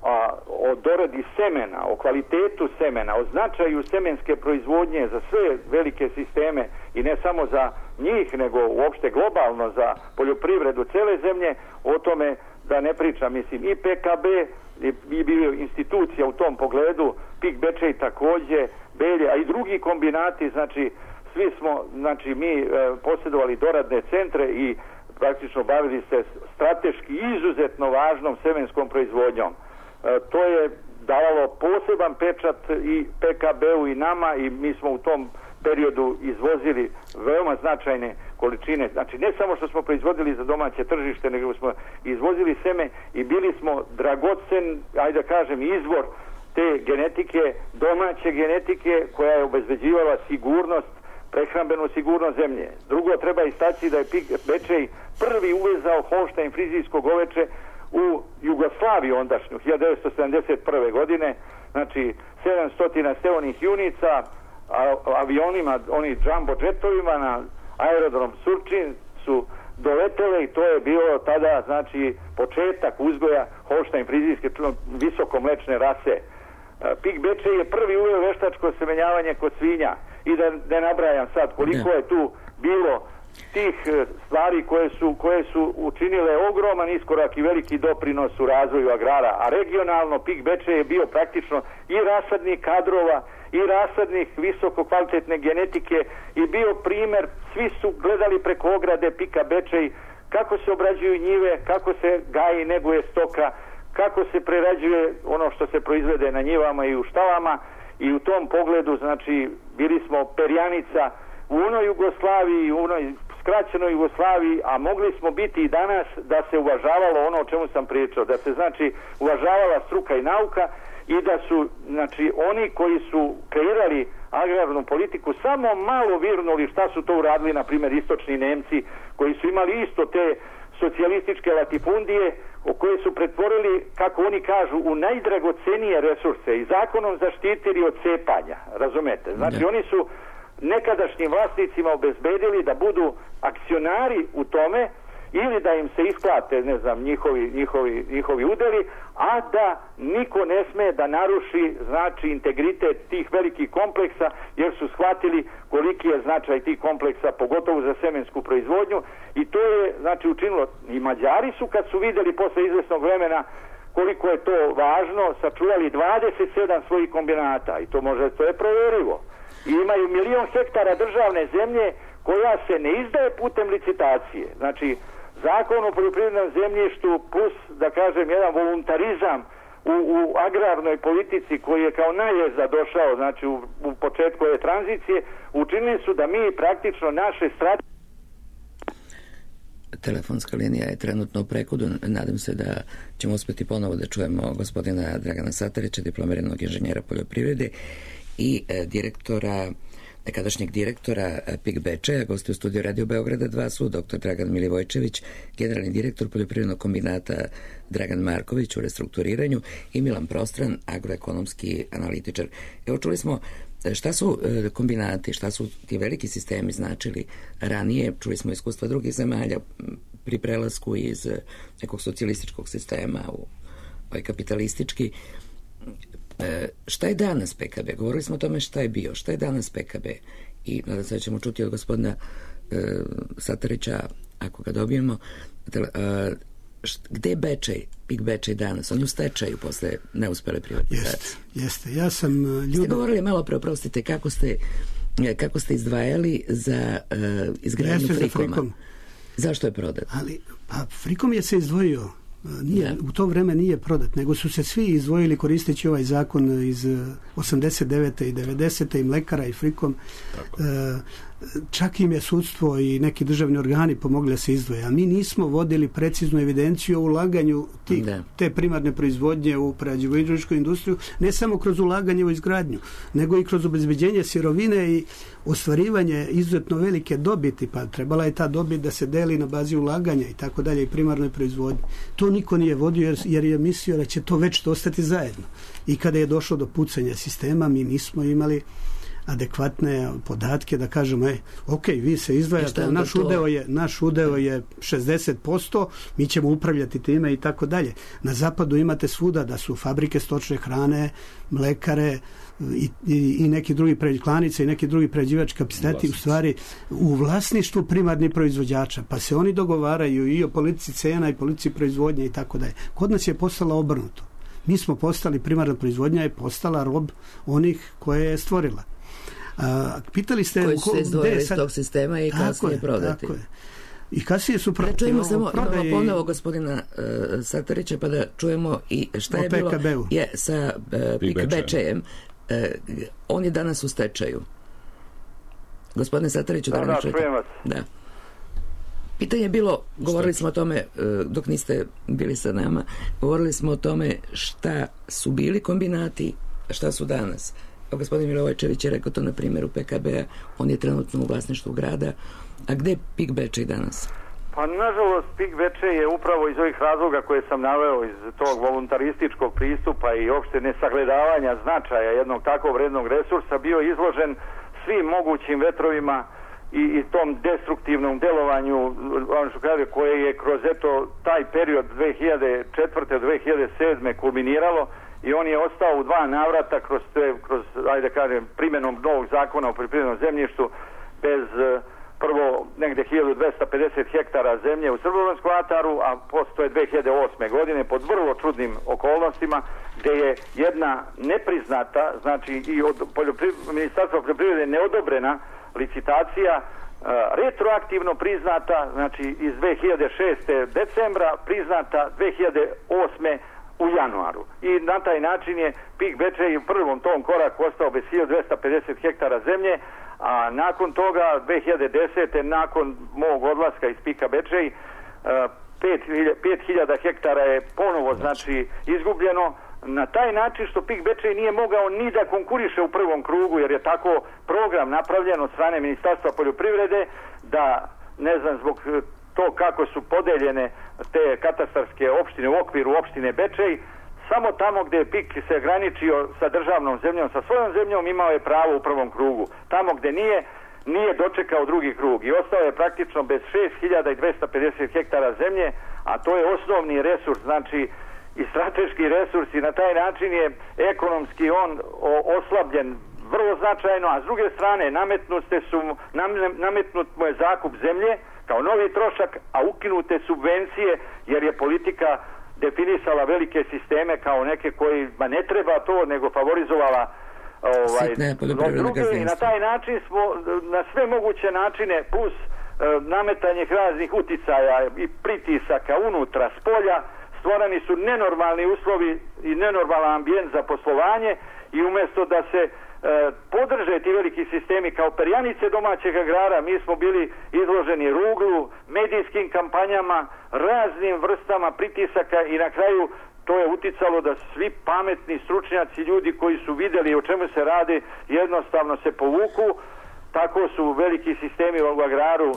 A o doradi semena, o kvalitetu semena, o značaju semenske proizvodnje za sve velike sisteme i ne samo za njih, nego uopšte globalno za poljoprivredu cele zemlje, o tome da ne pričam. Mislim, i P K B je bio institucija u tom pogledu, P I K Bečej takođe, Belje, a i drugi kombinati, znači svi smo, znači mi e, posjedovali doradne centre i praktično bavili se strateški izuzetno važnom semenskom proizvodnjom. To je davalo poseban pečat i P K B-u i nama i mi smo u tom periodu izvozili veoma značajne količine. Znači ne samo što smo proizvodili za domaće tržište, nego smo izvozili seme i bili smo dragocen, ajde da kažem, izvor te genetike, domaće genetike koja je obezbeđivala sigurnost, prehrambenu sigurnost zemlje. Drugo, treba istaći da je Pik Bečej prvi uvezao holštajn frizijsko goveče u Jugoslaviju ondašnju, hiljadu devetsto sedamdeset prve godine, znači sedamsto steonih junica, a, avionima, oni jumbo jetovima na aerodrom Surčin su doletele i to je bilo tada, znači, početak uzgoja holštajn frizijske visokomlečne rase. Pik Bečej je prvi uveo veštačko semenjavanje kod svinja i da ne nabrajam sad koliko je tu bilo tih stvari koje su, koje su učinile ogroman iskorak i veliki doprinos u razvoju agrara, a regionalno Pik Bečej je bio praktično i rasadnik kadrova i rasadnih visoko kvalitetne genetike i bio primer, svi su gledali preko ograde Pika Bečej kako se obrađuju njive, kako se gaji i neguje stoka, kako se prerađuje ono što se proizvede na njivama i u štalama i u tom pogledu, znači, bili smo perjanica u onoj Jugoslaviji, u onoj skraćenoj Jugoslaviji, a mogli smo biti i danas da se uvažavalo ono o čemu sam pričao, da se, znači, uvažavala struka i nauka i da su, znači, oni koji su kreirali agrarnu politiku samo malo virnuli šta su to uradili, na primjer, istočni Nemci koji su imali isto te socijalističke latifundije o koje su pretvorili, kako oni kažu, u najdragocenije resurse i zakonom zaštitili od cepanja, razumete? Znači, ne. Oni su nekadašnjim vlasnicima obezbedili da budu akcionari u tome ili da im se isplate, ne znam, njihovi, njihovi, njihovi udeli, a da niko ne sme da naruši, znači, integritet tih velikih kompleksa, jer su shvatili koliki je značaj tih kompleksa, pogotovo za semensku proizvodnju, i to je, znači, učinilo. I Mađari su, kad su videli posle izvesnog vremena koliko je to važno, sačuvali dvadeset sedam svojih kombinata, i to može, to je proverivo. I imaju milion hektara državne zemlje koja se ne izdaje putem licitacije. Znači, Zakon o poljoprivrednom zemljištu plus, da kažem, jedan voluntarizam u, u agrarnoj politici koji je kao najezda došao, znači u, u početku ove tranzicije, učinili su da mi praktično naše strategije. Telefonska linija je trenutno u prekodu. Nadam se da ćemo uspjeti ponovo da čujemo gospodina Dragana Satarića, diplomiranog inženjera poljoprivrede i e, direktora nekadašnjeg direktora Pik Bečeja. Gosti u studiju Radio Beograda dva su doktor Dragan Milivojčević, generalni direktor poljoprivrednog kombinata Dragan Marković u restrukturiranju i Milan Prostran, agroekonomski analitičar. Evo, čuli smo šta su kombinati, šta su ti veliki sistemi značili ranije. Čuli smo iskustva drugih zemalja pri prelasku iz nekog socijalističkog sistema u ovaj kapitalistički. E, šta je danas P K B? Govorili smo o tome šta je bio, šta je danas P K B i nadam se da ćemo čuti od gospodina e, Satarića, ako ga dobijemo, tele, e, št, gde je Bečej, Pik Bečej danas? On je u stečaju posle neuspele privatizacije. Jeste, jeste. Ja sam ljubim... Ste govorili malo pre, oprostite, kako ste, kako ste izdvajali za uh, izgradnju Frikoma. Za Frikom. Zašto je prodat? Ali, pa Frikom je se izdvojio. Nije, ja. U to vreme nije prodat, nego su se svi izdvojili koristeći ovaj zakon iz osamdeset devete i devedesete i Mlekara i Frikom. Tako. E, čak im je sudstvo i neki državni organi pomogli da se izdvoje, a mi nismo vodili preciznu evidenciju o ulaganju tih, te primarne proizvodnje u prerađivačku industriju, ne samo kroz ulaganje u izgradnju, nego i kroz obezbeđenje sirovine i ostvarivanje izuzetno velike dobiti, pa trebala je ta dobit da se deli na bazi ulaganja i tako dalje i primarnoj proizvodnji. To niko nije vodio jer, jer je mislio da će to već ostati zajedno. I kada je došlo do pucanja sistema, mi nismo imali adekvatne podatke da kažemo, e, ok, vi se izdvajate, naš udeo je, naš udeo je šezdeset posto, mi ćemo upravljati time i tako dalje. Na zapadu imate svuda da su fabrike stočne hrane, mlekare i, i, i neki drugi klanice i neki drugi prerađivački kapaciteti u stvari u vlasništvu primarnih proizvođača, pa se oni dogovaraju i o politici cena i politici proizvodnje i tako dalje. Kod nas je postala obrnuto. Mi smo postali, primarna proizvodnja je postala rob onih koje je stvorila. A, pitali ste koji su se izdvojili iz tog sistema i kasnije prodati. Tako je. I kasnije su prodati. Da čujemo samo, imamo ponovo gospodina uh, Satarića, pa da čujemo i šta je bilo je, sa uh, Pik Bečejem. Uh, on je danas u stečaju. Gospodine Satariću, da, da, da, da čujem vas. Da. Pitanje je bilo, govorili smo o tome, dok niste bili sa nama, govorili smo o tome šta su bili kombinati, a šta su danas. Gospodin Milovojčević je rekao to na primjeru P K B-a, on je trenutno u vlasništvu grada, a gde je PIK Bečej danas? Pa nažalost PIK Bečej je upravo iz ovih razloga koje sam naveo, iz tog voluntarističkog pristupa i opšte nesagledavanja značaja jednog takvog vrednog resursa bio izložen svim mogućim vetrovima i, i tom destruktivnom delovanju koje je kroz eto taj period dve hiljade četvrte do dve hiljade sedme kulminiralo i on je ostao u dva navrata kroz, te, kroz ajde kažem, primjenom novog zakona o poljoprivrednom zemljištu bez prvo negde hiljadu dvesta pedeset hektara zemlje u Srbobranskom ataru, a postoje dve hiljade osme godine pod vrlo čudnim okolnostima gde je jedna nepriznata, znači i od Ministarstva poljoprivrede neodobrena licitacija uh, retroaktivno priznata, znači iz dve hiljade šeste decembra, priznata dve hiljade osme u januaru. I na taj način je PIK Bečej u prvom tom koraku ostao bez hiljadu dvesta pedeset hektara zemlje, a nakon toga dve hiljade desete nakon mog odlaska iz PIK-a Bečej pet hiljada hektara je ponovo znači izgubljeno na taj način što PIK Bečej nije mogao ni da konkuriše u prvom krugu jer je tako program napravljen od strane Ministarstva poljoprivrede da ne znam zbog to kako su podeljene te katastarske opštine u okviru opštine Bečej, samo tamo gdje je PIK se graničio sa državnom zemljom, sa svojom zemljom, imao je pravo u prvom krugu. Tamo gdje nije, nije dočekao drugi krug i ostao je praktično bez šest hiljada dvesta pedeset hektara zemlje, a to je osnovni resurs, znači i strateški resurs i na taj način je ekonomski on oslabljen vrlo značajno, a s druge strane nametnute su, nametnut mu je zakup zemlje kao novi trošak, a ukinute subvencije jer je politika definisala velike sisteme kao neke kojima ne treba to, nego favorizovala ovaj, druge i na taj način smo na sve moguće načine plus e, nametanje raznih uticaja i pritisaka unutra, spolja, stvoreni su nenormalni uslovi i nenormalan ambijent za poslovanje i umjesto da se e, podrže ti veliki sistemi kao perjanice domaćeg agrara, mi smo bili izloženi ruglu, medijskim kampanjama, raznim vrstama pritisaka i na kraju to je uticalo da svi pametni stručnjaci, ljudi koji su vidjeli o čemu se radi, jednostavno se povuku. Tako su veliki sistemi u agraru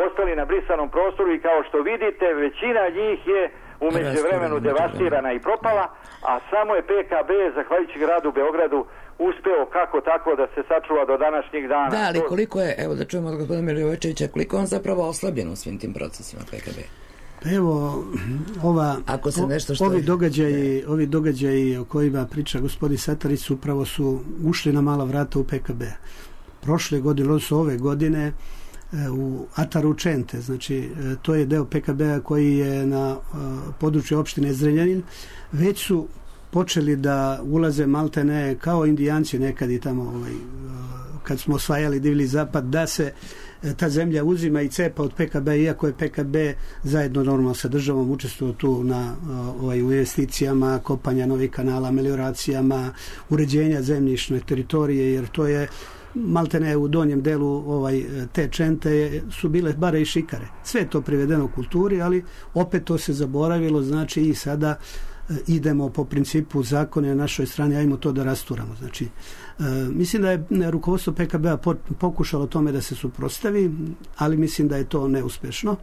ostali na brisanom prostoru i kao što vidite, većina njih je u međuvremenu devastirana i propala, a samo je P K B, zahvaljujući gradu Beogradu, uspeo kako tako da se sačuva do današnjih dana. Da, ali koliko je, evo da čujemo od gospodina Milovojčevića, koliko on zapravo oslabljen u svim tim procesima P K B? Evo, ova, Ako se nešto što ovi, je... događaji, ovi događaji o kojima priča gospodin Satarić upravo su ušli na mala vrata u P K B. Prošle godine, odnosno ove godine, u Ataru Čente, znači to je deo P K B-a koji je na području opštine Zrenjanin, već su počeli da ulaze maltene kao Indijanci nekad i tamo ovaj, kad smo osvajali divlji zapad, da se ta zemlja uzima i cepa od P K B, iako je P K B zajedno normalno sa državom učestvovao tu na ovaj, investicijama, kopanja novih kanala, melioracijama, uređenja zemljišne teritorije, jer to je maltene u donjem delu ovaj, te Čente su bile bare i šikare. Sve je to privedeno kulturi, ali opet to se zaboravilo, znači i sada idemo po principu zakona na našoj strani, ajmo to da rasturamo. Znači, e, mislim da je rukovodstvo P K B-a pokušalo tome da se suprotstavi, ali mislim da je to neuspešno.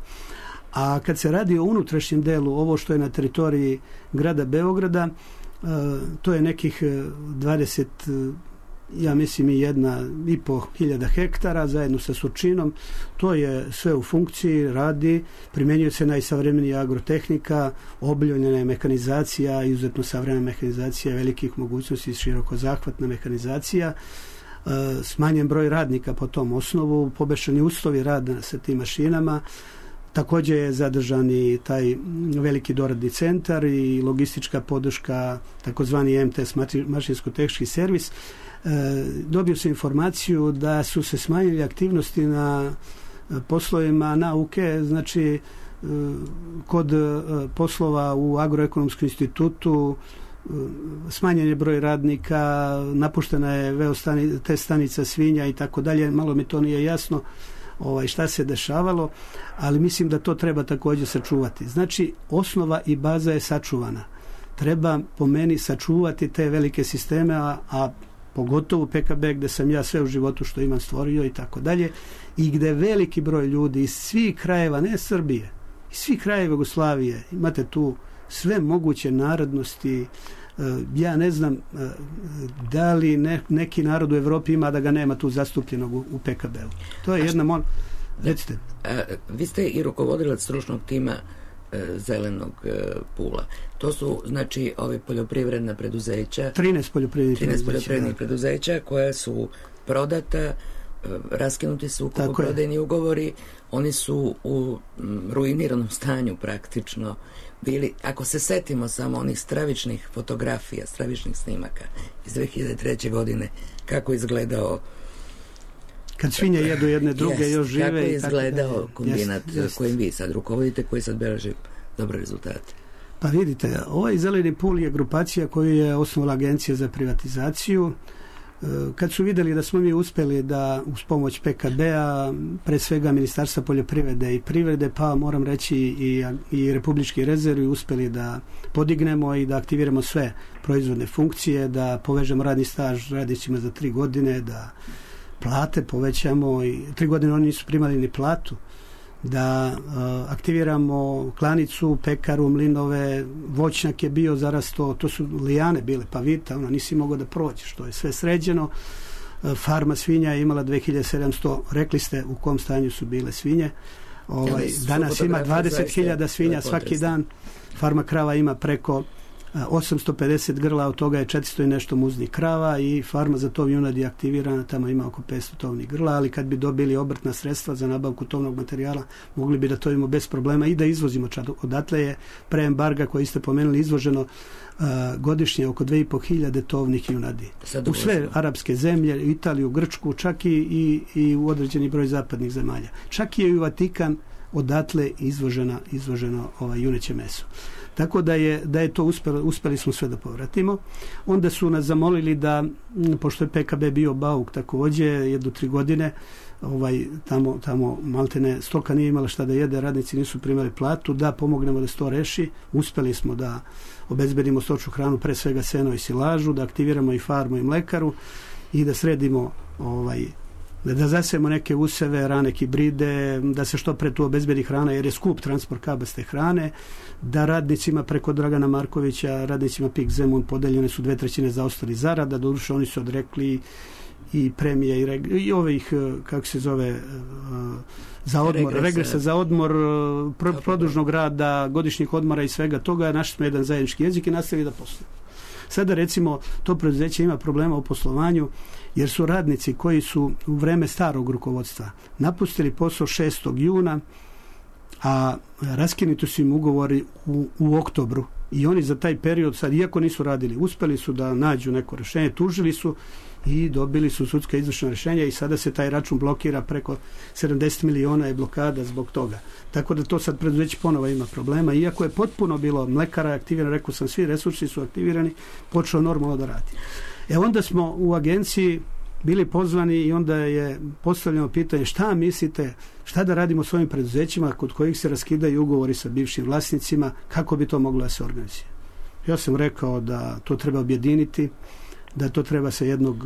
A kad se radi o unutrašnjem delu, ovo što je na teritoriji grada Beograda, e, to je nekih dvadeset, ja mislim i jedna i po hiljada hektara zajedno sa Surčinom. To je sve u funkciji, radi, primjenjuje se najsavremenija agrotehnika, obiljena je mehanizacija, izuzetno savremena mehanizacija, velikih mogućnosti, širokozahvatna mehanizacija, smanjen broj radnika po tom osnovu, poboljšani uslovi rada sa tim mašinama. Također je zadržan i taj veliki doradni centar i logistička podrška, takozvani M T S, mašinsko-tehnički servis. E, dobio sam informaciju da su se smanjili aktivnosti na poslovima nauke, znači e, kod poslova u Agroekonomskom institutu smanjen je broj radnika, napuštena je veo stani, te stanica svinja i tako dalje. Malo mi to nije jasno ovaj, šta se dešavalo, ali mislim da to treba također sačuvati. Znači, osnova i baza je sačuvana. Treba po meni sačuvati te velike sisteme, a, a pogotovo P K B gde sam ja sve u životu što imam stvorio i tako dalje, i gde veliki broj ljudi iz svih krajeva, ne Srbije, iz svih krajeva Jugoslavije, imate tu sve moguće narodnosti. Ja ne znam da li ne, neki narod u Evropi ima da ga nema tu zastupljenog u, u P K B-u. To je jedna mon... Recite. A, vi ste i rukovodilac stručnog tima Zelenog pula. To su, znači, ove poljoprivredna preduzeća, trinaest poljoprivrednih trinaest preduzeća, poljoprivrednih preduzeća koja su prodata, raskinuti su kupoprodajni ugovori, oni su u ruiniranom stanju praktično bili. Ako se setimo samo onih stravičnih fotografija, stravičnih snimaka iz dve hiljade treće. godine, kako izgledao kad svinje jedu jedne druge, jest, još žive. Kako je izgledao tako, kombinat jest, jest. kojim vi sad rukovodite, koji sad beleži dobre rezultate? Pa vidite, ovaj Zeleni pul je grupacija koju je osnovala Agencija za privatizaciju. Kad su vidjeli da smo mi uspjeli da uz pomoć P K B-a, pre svega Ministarstva poljoprivrede i privrede, pa moram reći i, i Republički rezervi, uspjeli da podignemo i da aktiviramo sve proizvodne funkcije, da povežemo radni staž radnicima za tri godine, da plate povećamo, i tri godine oni nisu primali ni platu, da uh, aktiviramo klanicu, pekaru, mlinove, voćnjak je bio zarasto, to su lijane bile, pavita, ona nisi mogao da prođeš, to je sve sređeno. Uh, farma svinja je imala dve hiljade sedamsto, rekli ste u kom stanju su bile svinje. Ovaj, ja, danas ima dvadeset hiljada svinja svaki dan, farma krava ima preko osamsto pedeset grla, od toga je četiristo i nešto muznih krava, i farma za tov junadi je aktivirana, tamo ima oko petsto tovnih grla, ali kad bi dobili obrtna sredstva za nabavku tovnog materijala, mogli bi da tovimo bez problema i da izvozimo čak. Odatle je pre embarga koji ste pomenuli izvoženo uh, godišnje oko dve i po hiljade tovnih junadi. U sve arapske zemlje, Italiju, Grčku, čak i, i, i u određeni broj zapadnih zemalja. Čak je i u Vatikan odatle izvožena, izvoženo ovaj, juneće meso. Tako da je, da je to uspjeli, uspjeli smo sve da povratimo. Onda su nas zamolili da, pošto je P K B bio bauk također, jednu tri godine, ovaj, tamo, tamo maltene stoka nije imala šta da jede, radnici nisu primali platu, da pomognemo da se to reši. Uspjeli smo da obezbedimo stočnu hranu, pre svega seno i silažu, da aktiviramo i farmu i mlekaru i da sredimo ovaj, da zasijemo neke useve, rane hibride, da se što pre tu obezbedi hrana, jer je skup transport kabaste hrane, da radnicima preko Dragana Markovića, radnicima P I K Zemun podeljene su dve trećine zaostali zarada, doduše oni su odrekli i premije i, reg, i ovih, kako se zove, za odmor, regresa, regresa za odmor, pro, produžnog rada, godišnjih odmora i svega toga. Našli smo jedan zajednički jezik i nastavili da poslujemo. Sada recimo to preduzeće ima problema u poslovanju, jer su radnici koji su u vreme starog rukovodstva napustili posao šestog juna, a raskinuti su im ugovori u, u oktobru, i oni za taj period sad, iako nisu radili, uspeli su da nađu neko rješenje, tužili su i dobili su sudska izvršna rješenja, i sada se taj račun blokira, preko sedamdeset miliona je blokada zbog toga. Tako da to sad preduzeće ponovo ima problema, iako je potpuno bilo mlekara aktivirano, rekao sam, svi resursi su aktivirani, počeo normalno da radi. E onda smo u agenciji bili pozvani i onda je postavljeno pitanje šta mislite, šta da radimo s ovim preduzećima kod kojih se raskidaju ugovori sa bivšim vlasnicima, kako bi to moglo da se organizuje. Ja sam rekao da to treba objediniti, da to treba sa jednog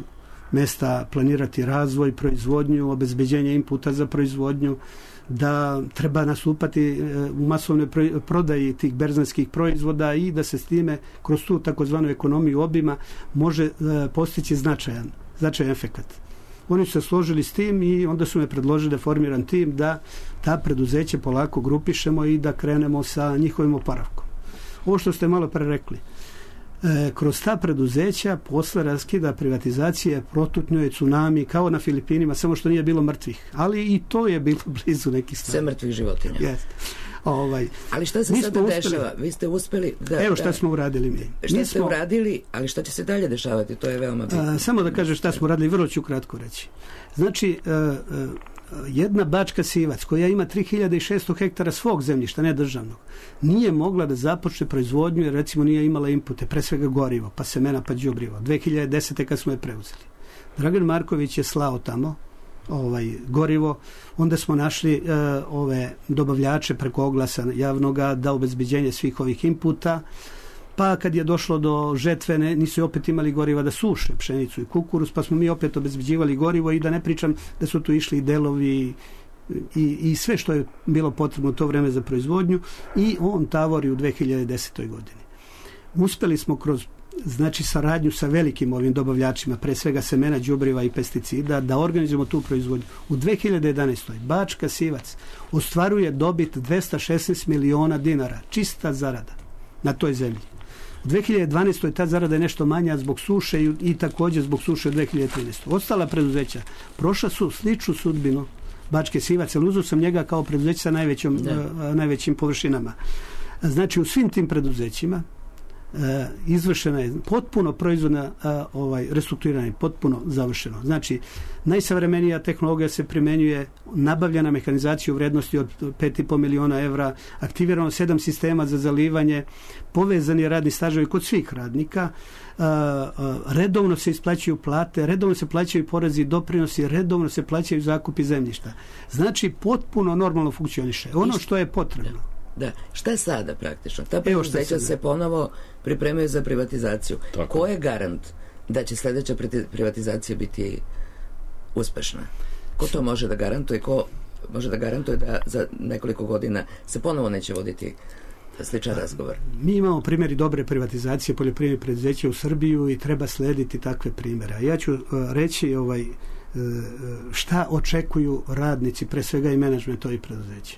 mesta planirati razvoj, proizvodnju, obezbeđenje inputa za proizvodnju, da treba nastupati u masovnoj prodaji tih berzanskih proizvoda i da se s time kroz tu takozvanu ekonomiju obima može postići značajan, značajan efekat. Oni su se složili s tim i onda su me predložili da formiram tim da ta preduzeće polako grupišemo i da krenemo sa njihovim oporavkom. Ovo što ste malo pre rekli, E, kroz ta preduzeća posle raskida privatizacije protutnjuje tsunami kao na Filipinima, samo što nije bilo mrtvih, ali i to je bilo blizu nekih stvari. Sve mrtvih životinja. Yes. Ovaj, ali šta se sada dešava? Vi ste uspeli da... Evo šta da, smo uradili mi. Šta mi ste smo, uradili, ali šta će se dalje dešavati? To je veoma bitno. A, samo da kažem šta smo uradili, vrlo ću kratko reći. Znači, a, a, jedna Bačka Sivac koja ima tri hiljade šesto hektara svog zemljišta, ne državnog, nije mogla da započne proizvodnju jer recimo nije imala inpute, pre svega gorivo, pa semena, pa đubrivo. dve hiljade desete kad smo je preuzeli. Dragan Marković je slao tamo ovaj gorivo, onda smo našli uh, ove dobavljače preko oglasa javnoga da obezbeđenje svih ovih inputa, pa kad je došlo do žetve ne, nisu opet imali goriva da suše pšenicu i kukuruz, pa smo mi opet obezbeđivali gorivo i da ne pričam da su tu išli i delovi i, i sve što je bilo potrebno u to vreme za proizvodnju i on tavori u dve hiljade desetoj godini. Uspeli smo kroz znači saradnju sa velikim ovim dobavljačima, pre svega semena, đubriva i pesticida, da organizujemo tu proizvodnju. U dve hiljade jedanaestoj Bačka Sivac ostvaruje dobit dvesta šesnaest miliona dinara, čista zarada na toj zemlji. U dve hiljade dvanaestoj ta zarada je nešto manja zbog suše i, i također zbog suše u dve hiljade trinaestoj. Ostala preduzeća prošla su sličnu sudbinu Bačke Sivac, ali uzeo sam njega kao preduzeće sa najvećom, uh, najvećim površinama. Znači u svim tim preduzećima Uh, izvršena je potpuno proizvodna uh, ovaj, restrukturirana je potpuno završeno. Znači, najsavremenija tehnologija se primenjuje, nabavljena mehanizacija u vrednosti od pet i po miliona evra, aktivirano sedam sistema za zalivanje, povezani radni staževi kod svih radnika, uh, uh, redovno se isplaćuju plate, redovno se plaćaju porezi i doprinosi, redovno se plaćaju zakupi zemljišta. Znači, potpuno normalno funkcioniše. Ono što je potrebno. Da, šta je sada praktično? Ta preduzeća se ponovo pripremaju za privatizaciju. Tako. Ko je garant da će sljedeća privatizacija biti uspešna? Ko to može da garantuje? Ko može da garantuje da za nekoliko godina se ponovo neće voditi sličan razgovor? Mi imamo primjeri dobre privatizacije poljoprivrednih preduzeća u Srbiju i treba slediti takve primjere. Ja ću uh, reći ovaj, uh, šta očekuju radnici, pre svega i menadžment ovih preduzeća.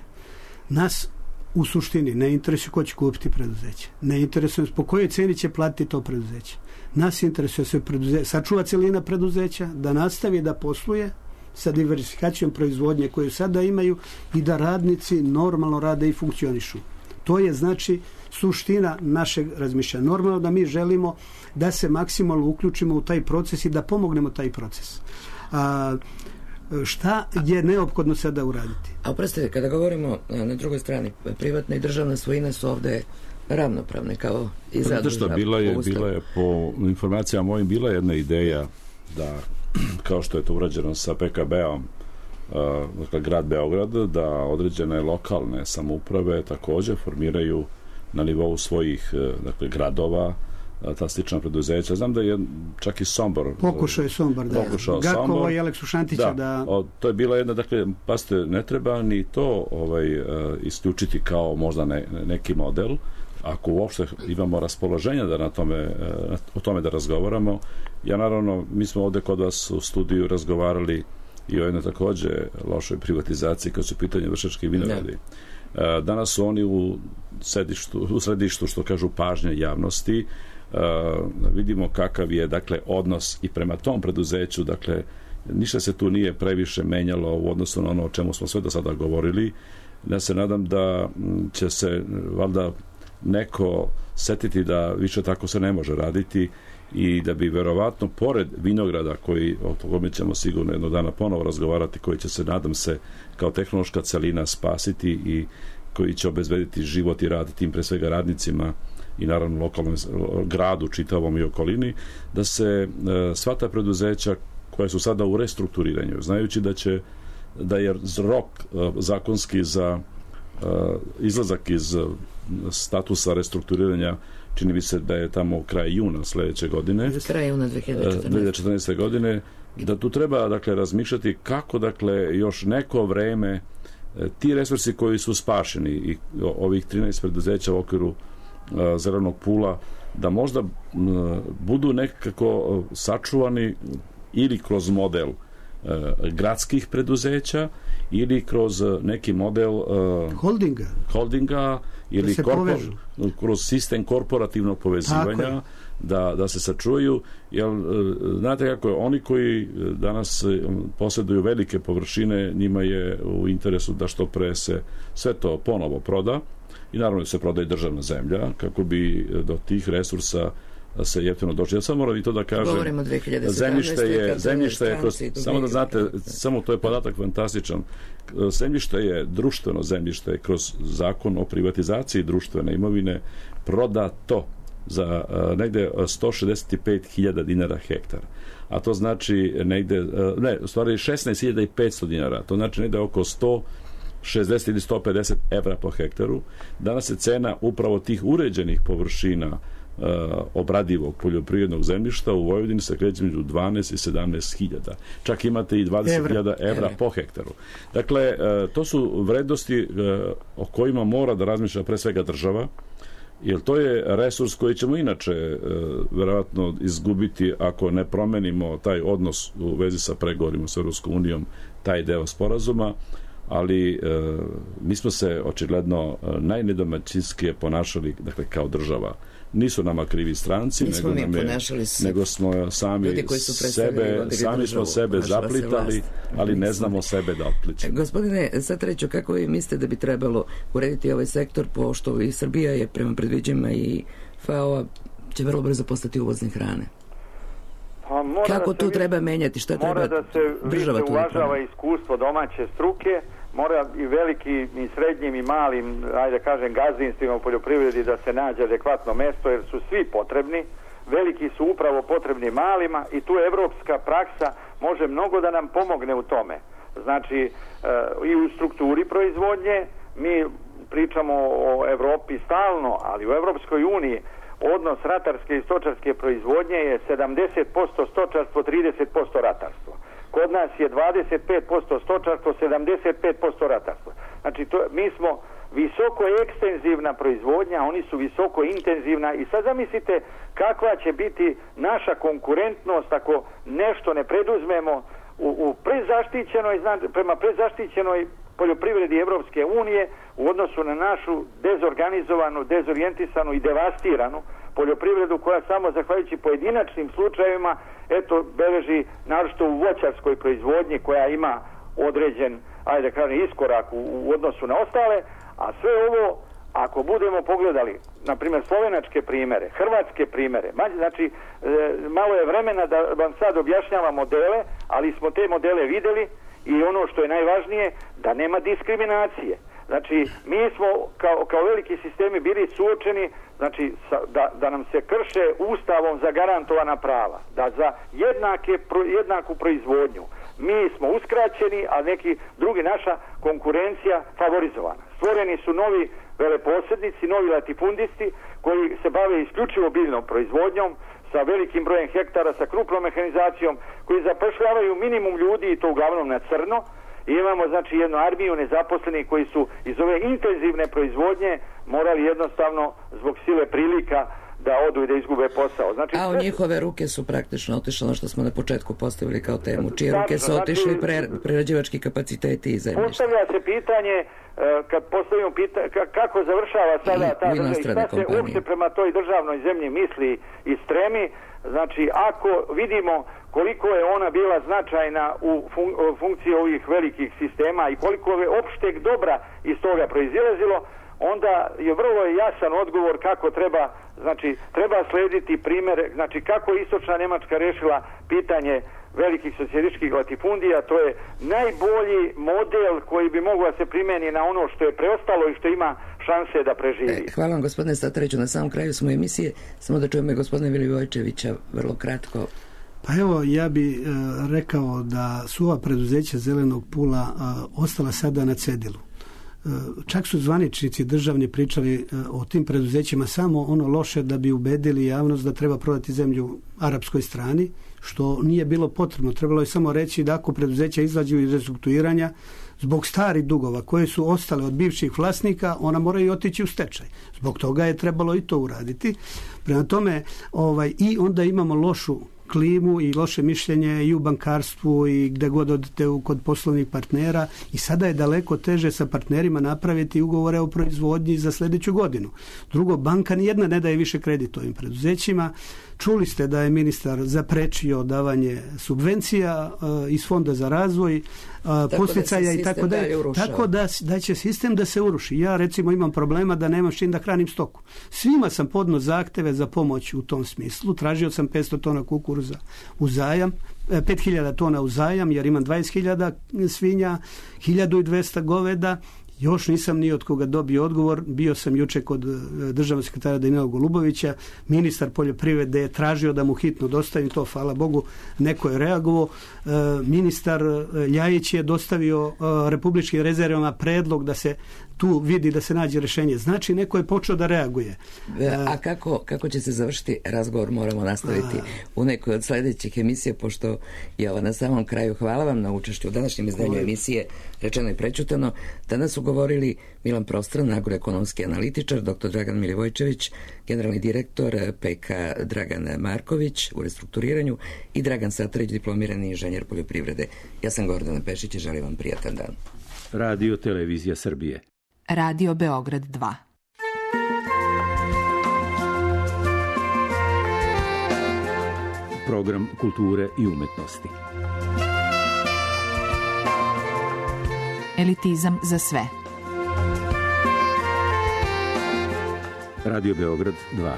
Nas u suštini ne interesuje ko će kupiti preduzeće. Ne interesuje po kojoj ceni će platiti to preduzeće. Nas interesuje se preduzeće, sačuva celina preduzeća, da nastavi da posluje sa diversifikacijom proizvodnje koju sada imaju i da radnici normalno rade i funkcionišu. To je znači suština našeg razmišljanja. Normalno da mi želimo da se maksimalno uključimo u taj proces i da pomognemo taj proces. A, šta je neophodno sada uraditi? A oprostite, kada govorimo na drugoj strani, privatna i državna svojina su ovde ravnopravne kao i za državu. Bila je, bila je po informacijama mojim bila jedna ideja da, kao što je to urađeno sa P K B-om, dakle grad Beograd, da određene lokalne samouprave također formiraju na nivou svojih dakle gradova ta slična preduzeća. Znam da je čak i Sombor pokušao je Sombor, da. Gakovo i Aleksu Šantića da, da... O, to je bila jedna, dakle, pasite, ne treba ni to ovaj, uh, isključiti kao možda ne, neki model, ako uopšte imamo raspoloženja da na tome, uh, o tome da razgovaramo. Ja naravno, mi smo ovde kod vas u studiju razgovarali i o jednoj također lošoj privatizaciji kad su pitanje Vršački vinogradi. Uh, danas su oni u sedištu, u središtu, što kažu, pažnje javnosti. Uh, vidimo kakav je dakle odnos i prema tom preduzeću, dakle ništa se tu nije previše menjalo u odnosu na ono o čemu smo sve do sada govorili. Ja se nadam da će se valjda neko setiti da više tako se ne može raditi i da bi verovatno pored vinograda, koji, o tome ćemo sigurno jednog dana ponovo razgovarati, koji će se, nadam se, kao tehnološka celina spasiti i koji će obezbediti život i rad tim pre svega radnicima i naravno lokalnom gradu, čitavom i okolini, da se e, sva ta preduzeća koja su sada u restrukturiranju, znajući da će da je rok e, zakonski za e, izlazak iz statusa restrukturiranja, čini mi se da je tamo kraj juna sledeće godine, kraj juna dve hiljade četrnaeste godine, da tu treba dakle razmišljati kako dakle još neko vreme ti resursi koji su spašeni i ovih trinaest preduzeća u okviru zelenog pula, da možda budu nekako sačuvani ili kroz model gradskih preduzeća ili kroz neki model holdinga, holdinga ili korpor, kroz sistem korporativnog povezivanja, da, da se sačuvaju, jer znate kako je, oni koji danas posjeduju velike površine, njima je u interesu da što pre se sve to ponovo proda i naravno se prodaje državna zemlja kako bi do tih resursa se jeftino došli. Ja samo moram i to da kažem. Govorimo dve hiljade sedamnaeste. Zemljište je, zemljište je kroz, samo da znate, samo to je podatak fantastičan. Zemljište je društveno zemljište kroz zakon o privatizaciji društvene imovine prodato za uh, negde sto šezdeset pet hiljada dinara hektar. A to znači negde, uh, ne, u stvari šesnaest hiljada petsto dinara. To znači negde oko sto šezdeset ili sto pedeset evra po hektaru. Danas je cena upravo tih uređenih površina uh, obradivog poljoprivrednog zemljišta u Vojvodini se kreće među dvanaest i sedamnaest hiljada. Čak imate i dvadeset hiljada evra po hektaru. Dakle, uh, to su vrednosti uh, o kojima mora da razmišlja pre svega država, jer to je resurs koji ćemo inače e, verovatno izgubiti ako ne promenimo taj odnos u vezi sa pregovorima sa Europskom unijom, taj deo sporazuma, ali e, mi smo se očigledno najnedomaćinskije ponašali, dakle, kao država. Nisu nama krivi stranci, nego, nam je, nego smo sami sebe, sami smo sebe zaplitali, ali ne znamo sebe da otpličimo. Gospodine Satariću, kako vi mislite da bi trebalo urediti ovaj sektor, pošto i Srbija je prema predviđenjima i F A O-a će vrlo brzo postati uvoznik hrane? Pa kako tu treba menjati? Šta treba država tu? Mora da se uvažava iskustvo domaće struke, mora i velikim i srednjim i malim, ajde da kažem, gazdinstvima u poljoprivredi da se nađe adekvatno mesto, jer su svi potrebni. Veliki su upravo potrebni malima i tu evropska praksa može mnogo da nam pomogne u tome. Znači, e, i u strukturi proizvodnje, mi pričamo o Evropi stalno, ali u Evropskoj uniji odnos ratarske i stočarske proizvodnje je sedamdeset posto stočarstvo, trideset posto ratarstvo. Kod nas je dvadeset pet posto stočarstvo, sedamdeset pet posto ratarstvo. Znači, to, mi smo visoko ekstenzivna proizvodnja, oni su visoko intenzivna i sad zamislite kakva će biti naša konkurentnost ako nešto ne preduzmemo u, u prezaštićenoj, prema prezaštićenoj poljoprivredi Evropske unije u odnosu na našu dezorganizovanu, dezorijentisanu i devastiranu poljoprivredu koja samo zahvaljujući pojedinačnim slučajevima eto beleži naročito u voćarskoj proizvodnji koja ima određen, ajde da kažem, iskorak u, u odnosu na ostale, a sve ovo ako budemo pogledali, na primjer, slovenačke primere, hrvatske primere, znači e, malo je vremena da vam sad objašnjavam modele, ali smo te modele videli i ono što je najvažnije, da nema diskriminacije. Znači, mi smo kao, kao veliki sistemi bili suočeni, znači, sa, da, da nam se krše ustavom zagarantovana prava, da za jednake, pro, jednaku proizvodnju mi smo uskraćeni, a neki drugi, naša konkurencija favorizovana. Stvoreni su novi veleposjednici, novi latifundisti koji se bave isključivo biljnom proizvodnjom, sa velikim brojem hektara, sa krupnom mehanizacijom, koji zapošljavaju minimum ljudi i to uglavnom na crno. I imamo, znači, jednu armiju nezaposlenih koji su iz ove intenzivne proizvodnje morali jednostavno zbog sile prilika da odu i da izgube posao. Znači, a u njihove ruke su praktično otišle ono što smo na početku postavili kao temu. Čije ruke su otišli znači, pre, prerađivački kapaciteti i zemljište? Postavlja se pitanje, kad postavimo pitanje, kako završava sada ta država i šta se uopšte prema toj državnoj zemlji misli i stremi. Znači, ako vidimo koliko je ona bila značajna u fun- funkciji ovih velikih sistema i koliko je opšteg dobra iz toga proizilazilo, onda je vrlo jasan odgovor kako treba, znači, treba slediti primjer, znači, kako je istočna Njemačka rešila pitanje velikih socijalističkih latifundija. To je najbolji model koji bi mogao se primjeni na ono što je preostalo i što ima šanse da preživi. E, hvala vam, gospodine Satariću. Na samom kraju smo emisije, samo da čujemo i gospodine Vilivojčevića vrlo kratko. Pa evo, ja bi e, rekao da su ova preduzeća Zelenog pula e, ostala sada na cedilu. E, čak su zvaničnici državni pričali e, o tim preduzećima samo ono loše da bi ubedili javnost da treba prodati zemlju arapskoj strani, što nije bilo potrebno. Trebalo je samo reći da ako preduzeća izađu iz restrukturiranja zbog starih dugova koje su ostale od bivših vlasnika, ona moraju otići u stečaj. Zbog toga je trebalo i to uraditi. Prema tome, ovaj, i onda imamo lošu klimu i loše mišljenje i u bankarstvu i gde god odete kod poslovnih partnera i sada je daleko teže sa partnerima napraviti ugovore o proizvodnji za sljedeću godinu. Drugo, banka nijedna ne daje više kredit ovim preduzećima. Čuli ste da je ministar zaprečio davanje subvencija uh, iz Fonda za razvoj. posticaja i tako da, tako da, da će sistem da se uruši. Ja recimo imam problema da nemam s čim da hranim stoku. Svima sam podno zahteve za pomoć u tom smislu. Tražio sam petsto tona kukuruza u zajam, pet hiljada tona u zajam jer imam dvadeset hiljada svinja, hiljadu dvesta goveda. Još nisam ni od koga dobio odgovor. Bio sam juče kod državnog sekretara Danila Golubovića. Ministar poljoprivrede je tražio da mu hitno dostavim to. Hvala Bogu, neko je reagovao. E, ministar Ljajić je dostavio e, republičkim rezervama predlog da se tu vidi da se nađe rješenje. Znači, neko je počeo da reaguje. A kako, kako će se završiti razgovor moramo nastaviti u nekoj od sljedećih emisija, pošto je ovo na samom kraju. Hvala vam na učešću u današnjem izdanju emisije Rečeno i prečutano. Danas su govorili Milan Prostran, agroekonomski analitičar, doktor Dragan Milivojčević, generalni direktor, P K Dragan Marković u restrukturiranju i Dragan Satarić, diplomirani inženjer poljoprivrede. Ja sam Gordana Pešić i želim vam prijatan dan. Radio Televizija Srbije. Radio Beograd dva. Program kulture i umetnosti. Elitizam za sve. Radio Beograd dva.